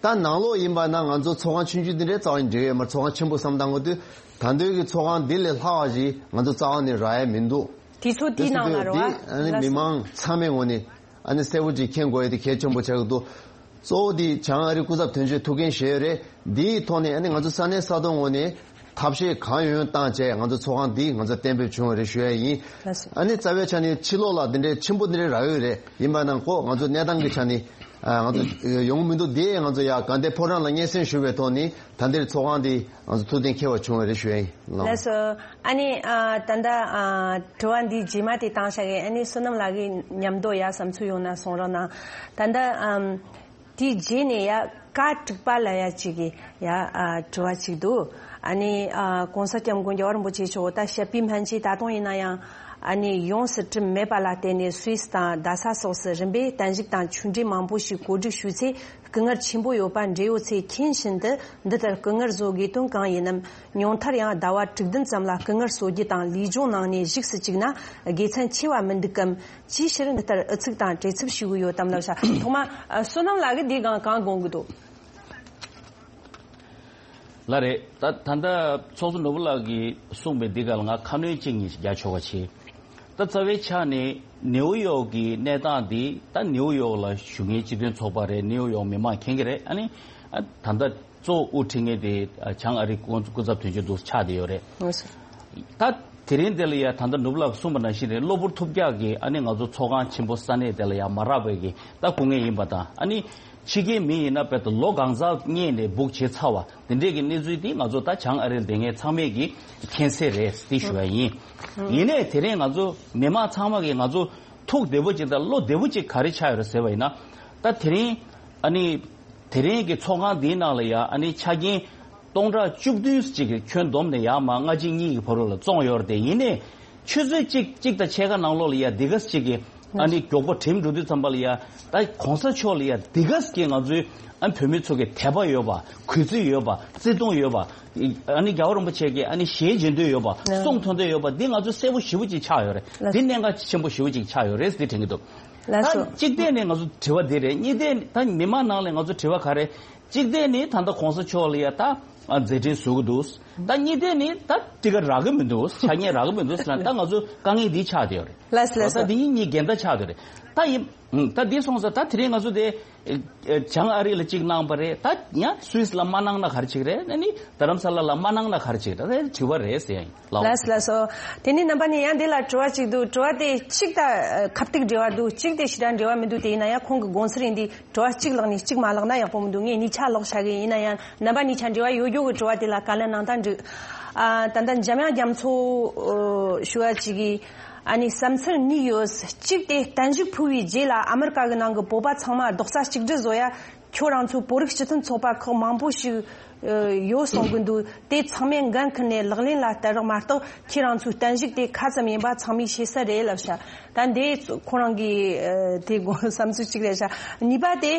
ད་ནང་ལོགས་ཡིན་པ་ན་ང་ཚོ་ཚོགས་ཁང་ཆུང་ཆུང་འདི་འདྲའི་རྩ་བ་ནས་འགྲིག་ཡོད་མ་རེད། ཚོགས་ཁང་ཆེན་པོ་བསམ་བཏང་དགོས་དུས་ད་འདོད་ཀྱི་ཚོགས་ཁང་འདི་ལས་ལྷག་པ་ཞིག་ང་ཚོ་རྩ་བ་ནས་རག་ཡ་མི་འདུག་དུས་ཚོད་འདིའི་ནང་ལ་རེད་བ། འདི་ཨ་ནི་མི་མང་ཚང་མའི་ངོས་ནས་ཨ་ནི་གསལ་པོ་ཅིག་མཁྱེན་དགོས་ཡ་དེ་གལ་ཆེན་པོ་ཆགས་ཀྱི་འདུག་གཙོ་བོ་དེ་བྱང་ཨ་རི་སྐུ་ཚབ་དོན་གཅོད་ཐུགས་འགན་བཞེས་ཡོད་རེད། འདིའི་ཐོག་ནས་ཨ་ནི་ང་ཚོ་ས་གནས་ས་ཐོག་ངོས་ནས་ཐབས་ཤེས་གང་ཡོང་ཡོང་བཏང་བྱས་ང་ཚོ་ཚོགས་ཁང་འདི་ང་ཚོ་གཏན་འབེབས་བྱུང་བ་རེད་ཞུ་ཡ་ཡིན། ལགས་སོ། ཨ་ནི་རྩ་བའི་ཆ་ནས་ཕྱི་ལོགས་ལ་འདི་འདྲའི་ཆེན་པོ་འདི་འདྲའི་རག་ཡོད་རེད། ཡིན་པ་ན་ཁོ་ང་ཚོ་གནས་སྟངས་ཀྱི་ཆ་ནས་ཨ་ང་ཚོ་ཡོང་གི་མི་འདུག་འདི་ང་ཚོ་ཡ་དགའ་ལྡན་ཕོ་བྲང་ལ་སྙན་སེང་ཞུ་བའི་ཐོག་ནས་ད་འདིར་ཚོགས་ཁང་འདི་ང་ཚོ་ཐུགས་གཏན་འཁེལ་བ་བྱུང་བ་རེད་ཞུ་ཡ་ཡིན། ལགས་སོ། ཨ་ནི་ཨ་ད་ལྟ་ཨ་དྲི་བ་འདི་རྗེས་མ་དེ་བཏང་བཞག་གི་ཨ་ནི་བསོད་ནམས་ལགས་ཀྱི་མཉམ་དུ་ཡ་བསམ་ཚུལ་ཡོང་ན་གསུང་རོགས་གནང་། ད་ལྟ་ཨམ་དེའི་རྗེས་ནས་ཡ་བཀའ་དྲུག་པ་ལབ་ཡ་ཅིག་གི་ཡ་ཨ་དྲི་བ་ཅིག་འདུག་ཨ་ནི་ཨ་༸གོང་ས་༸སྐྱབས་མགོན་རྒྱལ་བ་རིན་པོ་ཆེ་མཆོག་ད་བཤད་པའི་སྨན་བཅོས་ད་དུང་ཡིན་ན་ཡང་ཨ་ནི་ཡོངས་སུ་གྲུབ་མེད་པ་ལ་བརྟེན་ནས་སུད་སི་དང་རྡ་ས་སོགས་སུ་རིམ་པས་བརྟན་བཞུགས་དང་ཆོས་འབྲེལ་མང་པོ་ཞིག་གོ་སྒྲིག་ཞུས་ཚེ། སྐུ་ངལ་ཆེན་པོ་ཡོད་པ་འབྲེལ་ཡོད་ཚོས་མཁྱེན་བཞིན་དུ་འདི་ལྟར་སྐུ་ངལ་བཟོ་དགོས་དོན་གང་ཡིན་ནམ། ཉུང་མཐར་ཡང་ཟླ་བ་དྲུག་བདུན་ཙམ་ལ་སྐུ་ངལ་གསོ་རྒྱུ་དང་ལུས་སྦྱོང་གནང་ནས་བཞུགས་སུ་བཅུག་ན་དགེ་མཚན་ཆེ་བ་མི་འདུག་གམ། ཅིའི་ཕྱིར་འདི་ལྟར་ཨུ་ཚུགས་དང་བྲེལ་འཚུབ་བྱེད་དགོས་ཡོད་དམ་ལབ་ཤག་ཐོག་མ་ཨ་བསོད་ནམས་ལགས་ཀྱིས་འདི་སྒང་གང་དགོངས་ཀྱི་འདུག་ལགས་རེད། ད་ད་ལྟ་ཚོགས་གཙོ་ནོར་བུ་ལགས་ཀྱིས་གསུངས་པའི་འདི་ག་ལ་ང་ཁ་སྣོན་གཅིག་གཉིས་ཤིག་རྒྱག་ཆོག་པ་བྱེད། ད་རྩ་བའི་ཆ་ནས་ནེའུ་ཡོག་གི་གནས་སྟངས་འདི་ད་ནེའུ་ཡོག་ལ་བཞུགས་མཁན་སྤྱི་མཐུན་ཚོགས་པ་རེད། ནེའུ་ཡོག་མི་མང་མཁྱེན་གྱི་རེད། ཨ་ནི་ཨ་ད་ལྟ་གཙོ་བོ་དབུ་ཁྲིད་མཁན་དེ་ཨ་བྱང་ཨ་རིའི་སྐུ་སྐུ་ཚབ་དོན་གཅོད་འདུག་ཆགས་བསྡད་ཡོད་རེད། ད་དེ་རིང་འདི་ལ་ཡ་ད་ལྟ་ནོར་བུ་ལགས་གསུངས་པ་ནང་བཞིན་རེད། གློ་བུར་ཐུབ་རྒྱག་གིས་ཨ་ནི་ང་ཚོ་ཚོགས་ཁང་ཆེན་པོ་ས་གནས་དེ་ལ་ཡ་མ་རག་པའི་གི་ད་སྐུ་ངལ་ཡིན་པ་དང་། ཨ་ནི་ཕྱི་རྒྱལ་མི་ཡིན་ན་དཔེ་ད་ལོ་གང་ཟག་གཉེར་ནས་སྦུག་བྱེད་ཚར་བ་དེ་འདྲས་ཀྱི་གནས་ཚུལ་འདི་ང་ཚོ་ད་བྱང་ཨ་རིར་བསྡད་མཁན་ཚང་མས་ཀྱི་མཁྱེན་གསལ་རེད་འདི་ཞུ་བ་ཡིན། ཡིན་ནའི་དེ་རིང་ང་ཚོ་མི་མང་ཚང་མ་གིས་ང་ཚོ་ཐུགས་བདེ་པོ་ཅིག་དང་བློ་བདེ་པོ་ཅིག་ག་རེ་ཆགས་ཡོད་རེད་ཟེར་བ་ཡིན་ན། ད་དེ་རིང་ཨ་ནི་དེ་རིང་གི་ཚོགས་ཁང་འདིའི་ནང་ལ་ཡ་ཨ་ནི་ཆ་རྐྱེན་སྟོང་ཕྲག་བཅུ་བདུན་ཅིག་གི་ཁྱོན་བསྡོམས་ནས་ཡར་མར་སྔ་ཕྱི་གཉིས་ཀྱི་བར་རུ་ལ་བཙོངས་ཡོད་རེད་དེ། ཡིན་ནའི་ཆུ་ཚོད་གཅིག་གཅིག་དང་ཕྱེད་ཀ་ནང་ལོགས་ལ་ཡ་འདི་ག་ཅིག་གི་ཨ་ནི་མགྱོགས་པོ་གྲིམ་འགྲོ་དུས་ཙམ་པ་ལ་ཡ་ད་གོང་ས་མཆོག་ལ་ཡ་འདི་ག་ཅིག་གི་ང་ཚོའི་ཨ་བོད་མི་ཚོ་གི་དད་པ་ཡོད་པ། གུས་བརྩི་ཡོད་པ། བརྩི་མཐོང་ཡོད་པ། ཨ་ནི་རྒྱལ་བ་རིན་པོ་ཆེ་གི་ཨ་ནི་ཞལ་མཇལ་འདོད་ཡོད་པ། གསུང་ཐོས་འདོད་ཡོད་པ་འདི་ང་ཚོ་གསལ་པོ་ཞེ་པོ་ཅིག་ཆགས་ཡོད་རེད། འདི་གནད་འགག་ཆེན་པོ་ཞེ་པོ་ཅིག་ཆགས་ཡོད་རེད་ཟེར་དྲན་གྱི་འདུག་ད་གཅིག་བལྟས་ནས་ང་ཚོ་དྲི་བ་འདི་རེད། གཉིས་བལྟས་ནས་ད་མི་མང་ནང་ལ་ང་ཚོ་དྲི་བ་ག་རེ། གཅིག་བལྟས་ནས་ད་ལྟ་གོང་ས་མཆོག་ལ་ཡ་ད་ཨ་མཛད་འཕྲིན་བཟོ་གི་འདུག་ད་གཉིས་བལྟས་ནས་ད་དེ་ག་རག་གི་མི་འདུག་ཆ་རྐྱེན་རག་གི་མི་འདུག་ཟེར་ན་ད་ང་ཚོ་དཀའ་ངལ་འདི་ཆགས་བསྡད་ཡོད་རེད། ལགས་སོ་ལགས་སོ། ད་འདི་གཉིས་གཉིས་འགལ་ཟླ་ཆགས་བསྡད་ཡོད་རེད། ད་ཡིན། ད་འདི་སོང་ཙང་ད་དེ་རིང་ང་ཚོ་དེ་ཨེ་ཨེ་བྱང་ཨ་རི་ལ་གཅིག་གནང་པ་རེད། ད་ཡང་སུད་སི་ལ་མ་གནང་ན་ག་རེ་བྱེད་ཀྱི་རེད། ཨ་ནི་རྡ་རམ་ས་ལ་ལ་མ་གནང་ན་ག་རེ་བྱེད་ཀྱི་རེད། དྲི་བ་རེད་ཟེར་ཡ་ཡིན། ལགས། ལགས་སོ་ལགས་སོ། དེ་ནས་རྣམ་པ་ནས་ཡང་འདི་ལ་དྲི་བ་གཅིག་འདུག་དྲི་བ་དེ་གཅིག་ད་ཨ་ཁ་གཏུག་འབྲེལ་བ་འདུག་གཅིག་དེ་ཞེ་དྲག་འབྲེལ་བ་མི་འདུག་དེ་ཡིན་ན་ཡང་ཁོང་གི་དགོངས་ཚུལ་ཡིན་དུས་དྲི་བ་གཅིག་ལགས་ནས་གཅིག་མ་ལགས་ན་ཡག་པོ་མི་འདུག་ངས་གཉིས་ཆ་ལོག་བྱ་གི་ཡིན། ན་ཡང་རྣམ་པ་གཉིས་ཆ་འབྲེལ་བ་ཡོད་རྒྱུ་གི་དྲི་བ་དེ་ལ་བཀའ་ལན་གནང་སྟངས་འགྲིག་ཨ་ད་ལྟ་འཇམ་དབྱངས་རྒྱ་མཚོ་ཨ་ཞུ་བ་ཅིག་གིས་ཨ་ནི་བསམ་ཚུལ་གཉིས་ཡོད། གཅིག་དེ་བརྟན་བཞུགས་ཕུལ་བའི་རྗེས་ལ་ཨ་མི་རི་ཀ་གི་ནང་གི་བོད་པ་ཚང་མ་རྡོག་རྩ་གཅིག་སྒྲིལ་བཟོ་ཡ། ཁྱོད་རང་ཚོ་བོད་རིགས་སྤྱི་མཐུན་ཚོགས་པ་ཁག་མང་པོ་ཞིག་ཨ་ཡོད་གསུང་གི་འདུག་དེ་ཚང་མས་འགན་འཁུར་ནས་ལག་ལེན་ལ་བསྟར་རོགས་མ་གཏོགས་ཁྱེད་རང་ཚོའི་བརྟན་བཞུགས་དེ་ཁ་ཙམ་ཡིན་པ་ཚང་མས་ཤེས་གསལ་རེད་ལབ་ཤག་ད་འདི་ཁོ་རང་གི་ཨ་དེ་དགོངས་བསམ་ཚུལ་གཅིག་རེད་ཤག་གཉིས་པ་དེ་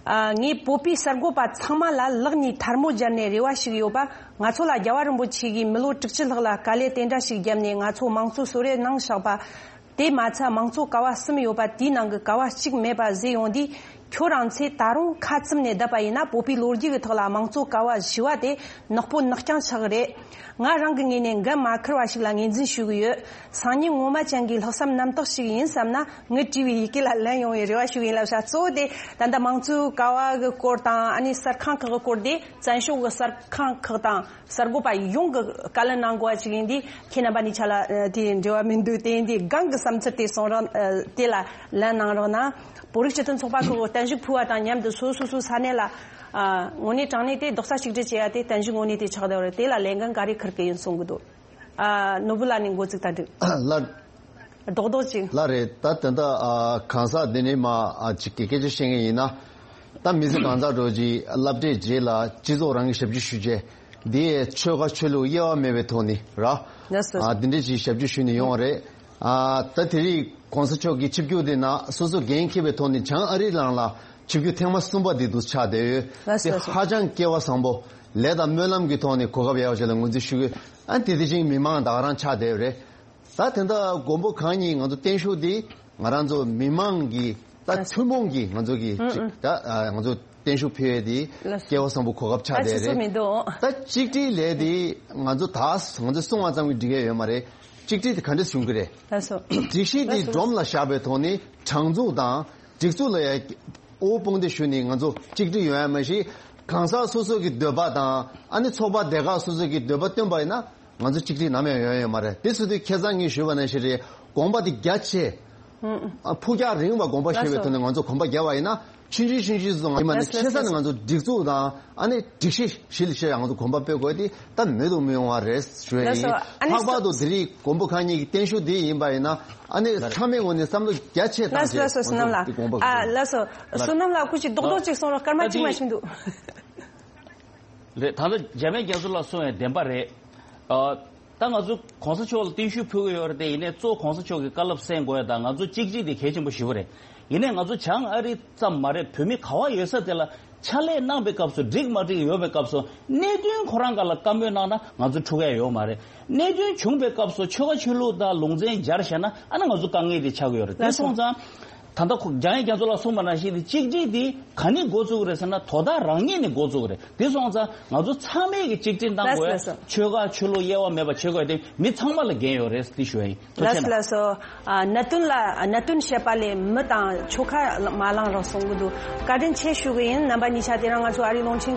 ཨ་ངས་བོད་པའི་གསར་འགོད་པ་ཚང་མ་ལ་ལག་གཉིས་ཐལ་མོ་སྦྱར་ནས་རེ་བ་ཞིག་ཡོད་པ། ང་ཚོ་ལ་རྒྱལ་བ་རིན་པོ་ཆེ་གིས་མི་ལོ་དྲུག་ཅུ་ལྷག་ལ་དཀའ་ལས་དེ་འདྲ་ཞིག་བརྒྱབ་ནས་ང་ཚོ་དམངས་གཙོ་གསོལ་རས་གནང་བཞག་པ། དེ་མ་ཚད་དམངས་གཙོ་ཀ་བ་གསུམ་ཡོད་པ་དེའི་ནང་གི་ཀ་བ་གཅིག་མེད་པ་བཟོས་ཡོང་དུས། ཁྱོད་རང་ཚོས་ད་རུང་ཁ་བཙུམ་ནས་བསྡད་པ་ཡིན་ན་བོད་པའི་ལོ་རྒྱུས་ཀྱི་ཐོག་ལ་དམངས་གཙོ་ཀ་བ་བཞི་བ་དེ་ནག་པོ་ནག་རྐྱང་ཆགས་ཀྱི་རེད། ང་རང་གི་ངོས་ནས་འགན་མ་འཁུར་བ་ཞིག་ལ་ངོས་འཛིན་ཞུ་གི་ཡོད། སང་ཉིན་ངོ་མ་ཅན་གྱི་ལྷག་བསམ་རྣམ་དག་ཞིག་ཡིན་བསམ་ན་ངས་བྲིས་པའི་ཡི་གེ་ལ་ལན་ཡོང་བའི་རེ་བ་ཞུ་གི་ཡིན་ལབ་ཤག་གཙོ་བོ་དེ་ད་ལྟ་དམངས་གཙོའི་ཀ་བ་གི་སྐོར་དང་ཨ་ནི་གསར་ཁང་ཁག་གི་སྐོར་དེ་བཙན་བྱོལ་གྱི་གསར་ཁང་ཁག་དང་། གསར་འགོད་པ་ཡོངས་ཀྱི་བཀའ་ལན་གནང་དགོས་པ་ཅིག་ཡིན་དུས་ཁྱེད་རྣམ་པ་གཉིས་ཆ་ལ་ཨ་དེ་འབྲེལ་བ་མི་འདུག་དེ་ཡིན་དུས་སྒང་གི་བསམ་ཚུལ་དེ་གསུང་རོགས། ཨ་དེ་ལ་ལན་གནང་རོགས་གནང་། བོད་རིགས་སྤྱི་མཐུན་ཚོགས་པ་ཁག་གིས་བརྟན་བཞུགས་ཕུལ་བ་དང་མཉམ་དུ་སོ་སོ་སོའི་ས་གནས་ལ་ཨ་དངོས་གནས་དྲང་གནས་དེ་རྡོག་རྩ་གཅིག་སྒྲིལ་བྱེད་ཡ་དེ་བརྟན་བཞུགས་དངོས་གནས་དེ་ཆགས་བསྡད་པ་རེད། དེ་ལ་ལས་འགན་ག་རེ་འཁུར་གི་ཡིན་གསུང་གི་འདུག་ཨ་ནོར་བུ་ལགས་ནས་འགོ་བཙུགས་ད་འགྲིག་ལགས། རྡོག་རྡོག་ཅིག་ལགས་རེད། ད་དེ་འདྲ་ཨ་གང་ཟག་འདི་ནས་མ་ཨ་ཅིག་གི་སྐད་ཆ་བཤད་མཁན་ཡིན་ན། ད་མི་ཚེ་གང་ཟག་འགྲོ་རྗེས་སློབ་གྲྭའི་རྗེས་ལ་སྤྱི་ཚོགས་རང་གི་ཞབས་ཕྱི་ཞུ་བྱས། འདི་ཆོལ་ཁ་ཆོས་ལུགས་དབྱེ་བ་མེད་པའི་ཐོག་ནས་ར། ལགས་སོ། ཨ་འདི་འདྲས་ཅིག་ཞབས་ཕྱི་ཞུས་ནས་ཡོང་བ་རེད། ཨ་ད་དེ་རིང་གོང་ས་མཆོག་གི་ཆིབས་བསྒྱུར་འདི་ནང་སོ་སོ་འགན་འཁྱེར་བའི་ཐོག་ནས་བྱང་ཨ་རིའི་ནང་ལ་ཆིབས་བསྒྱུར་ཐེངས་མ་གསུམ་པ་འདི་འདུག་ཆགས་བསྡད་ཡོད། ལགས་སོ། དེ་ཧ་ཅང་སྐལ་བ་བཟང་པོ། ལས་དང་སྨོན་ལམ་གྱི་ཐོག་ནས་གོ་སྐབས་ཡག་པོ་ཞིག་ལ་ངོས་འཛིན་ཞུ་གི། ཨ་དེ་དེ་བཞིན་མི་མང་ད་ག་རང་ཆགས་བསྡད་ཡོད་རེད། ད་དེ་འདྲ་མགོན་པོ་གང་ཉིད་ང་ཚོ་བརྟན་བཞུགས་འདི་ང་རང་ཚོ་མི་མང་གི་ད་ཐུན་མོང་གི་ང་ཚོ་གི་ཨུ་ཅིག་ཨུ་ད་ཨ་ང་ཚོ་བརྟན་བཞུགས་ཕུལ་ཡས་འདི་ལགས་སོ། སྐལ་བ་བཟང་པོ་གོ་སྐབས་ཆགས་ད་བསྡད་ཆུ་ཚོད་རེད། མི་འདུག་ད་གཅིག་སྒྲིལ་ལས་འདི་ང་ཚོ་ད་ང་ཚོ་གསུང་བ་ཙམ་གྱིས་འགྲིག་ཡས་ཡོད་མ་རེད། གཅིག་སྒྲིལ་དེ་ག་འདྲས་བྱུང་གི་རེད། ལགས་སོ། སྒྲིག་གཞི་འདི་ལགས་སོ། སྒྲོམ་ལ་བཞག་པའི་ཐོག་ནས་དྲང་ཚུགས་དང་སྒྲིག་འཛུགས་ལ་ཡ་དབུ་དཔུང་སྡེ་ཞུས་ནས་ང་ཚོ་གཅིག་སྒྲིལ་ཡོང་ཡ་མ་གཞི་གང་ཟག་སོ་སོ་གི་འདོད་པ་དང་ཨ་ནི་ཚོགས་པ་སྡེ་ཁག་སོ་སོ་གི་འདོད་པ་བཏོན་པ་ཡིན་ན། ང་ཚོ་གཅིག་སྒྲིལ་ནམ་ཡང་ཡོང་ཡོད་མ་རེད། དེ་སོང་དུས་ཁ་སང་ངས་ཞུས་པ་ནང་བཞིན་རེད། དགོངས་པ་དེ་རྒྱ་ཆེ། ཨུ་ཨུ། ཨ་ཕུགས་རྒྱང་རིང་བ་དགོངས་པ་བཞེས་པའི་ལགས་སོ། ཐོག་ནས་ང་ཚོ་གོམ་པ་རྒྱག་པ་ཡིན་ན་ཆུང་ཆུང་ཆུང་ཆུང་ཙམ་ཡིན་པ་ནི་ལགས་སོ། ཆེ་ས་ནས་ང་ཚོ་སྒྲིག་འཛུགས་དང་ཨ་ནི་སྒྲིག་གཞི་གཞི་ལ་བྱས་ང་ཚོ་གོམ་པ་སྤོས་དགོས་དེ་ད་མེད་དུ་མི་ཡོང་བ་རེད་ཞུ་ཡ་ལགས་སོ། ཡིན། ཨ་ནི་ལྷག་པར་དུ་དེ་རིང་མགོན་པོ་གང་ཉིད་ཀྱི་བརྟན་བཞུགས་དེ་ཡིན་པ་ཡིན་ན་ཨ་ནི་ཚང་མའི་ངོས་ནས་བསམ་བློ་རྒྱ་ཆེ་བཏང་ལགས་སོ། ལགས་སོ། བསོད་ནམས་ལགས། ང་ཚོ་དེ་དགོངས་པ་ཨ་ལགས་སོ། བསོད་ནམས་ལགས་སྐུ་མཁྱེན་རྡོག་རྡོག་ཅིག་གསུང་རོགས། སྐར་མ་གཅིག་མ་ཕྱིན་འདུག་རེད། ད་ལྟ་འཇམ་དབྱངས་རྒྱ་མཚོ་ལགས་གསུངས་པའི་བདེན་པ་རེད། ཨ་ད་ང་ཚོ་གོང་ས་མཆོག་ལ་བརྟན་བཞུགས་ཕུལ་གྱི་ཡོད་རེད་དེ། ཡིན་ནའི་གཙོ་བོ་གོང་ས་མཆོག་གི་བཀའ་སློབ་གསན་དགོས་ཡ་དང་ང་ཚོ་གཅིག་སྒྲིལ་དེ་གལ་ཆེན་པོ་ཞེ་པོ་རེད། ཡིན་ནའི་ང་ཚོ་བྱང་ཨ་རི་ཙམ་མ་རེད། བོད་མི་ག་བ་ཡོད་ས་དེ་ལ་ཕྱག་ལས་གནང་པའི་སྐབས་སུ་འགྲིག་མ་འགྲིག་ཡོད་པའི་སྐབས་སུ་གནད་དོན་ཁོ་རང་སྒང་ལ་བཀའ་མོལ་གནང་ན་ང་ཚོ་འཁྲུག་ཡ་ཡོད་མ་རེད། གནད་དོན་བྱུང་པའི་སྐབས་སུ་ཆོལ་ཁ་ཆོས་ལུགས་དང་ལུང་ཚན་སྦྱར་བྱས་ན་ཨ་ནི་ང་ཚོ་དཀའ་ངལ་དེ་ཆགས་ཀྱི་ཡོད་རེད། དེ་སོང་ཙང་། ད་ལྟ་ཁོ་འཇམ་དབྱངས་རྒྱ་མཚོ་ལགས་གསུངས་པ་ནང་བཞིན་དེ་གཅིག་སྒྲིལ་དེ་ག་ནས་འགོ་བཙུགས་རེད་ཟེར་ན། དོ་བདག་རང་ཉིད་ནས་འགོ་བཙུགས་རེད། དེ་སོང་ཙང་ང་ཚོ་ཚང་མས་ཀྱི་གཅིག་སྒྲིལ་གནང་དགོས། ལགས་སོ། ཆོལ་ཁ་ཆོས་ལུགས་དབྱེ་བ་མེད་པ་བྱེད་དགོས་དེ་མི་ཚང་མ་ལ་འགན་ཡོད་རེད་དེ་ཞུ་ཡ་ཡིན། ཐུགས་རྗེ་ཆེ་གནང་། ལགས་སོ། ཨ། གནད་དོན་ལ་གནད་དོན་བཤད་པ་ལས་མི་དང་ཆོལ་ཁ་མ་ལངས་རོགས་གསུང་གི་འདུག་བཀའ་དྲིན་ཆེ་ཞུ་གི་ཡིན། རྣམ་པ་གཉིས་ཆ་དེ་རིང་ང་ཚོ་ཨ་རིའི་རླུང་འཕྲིན་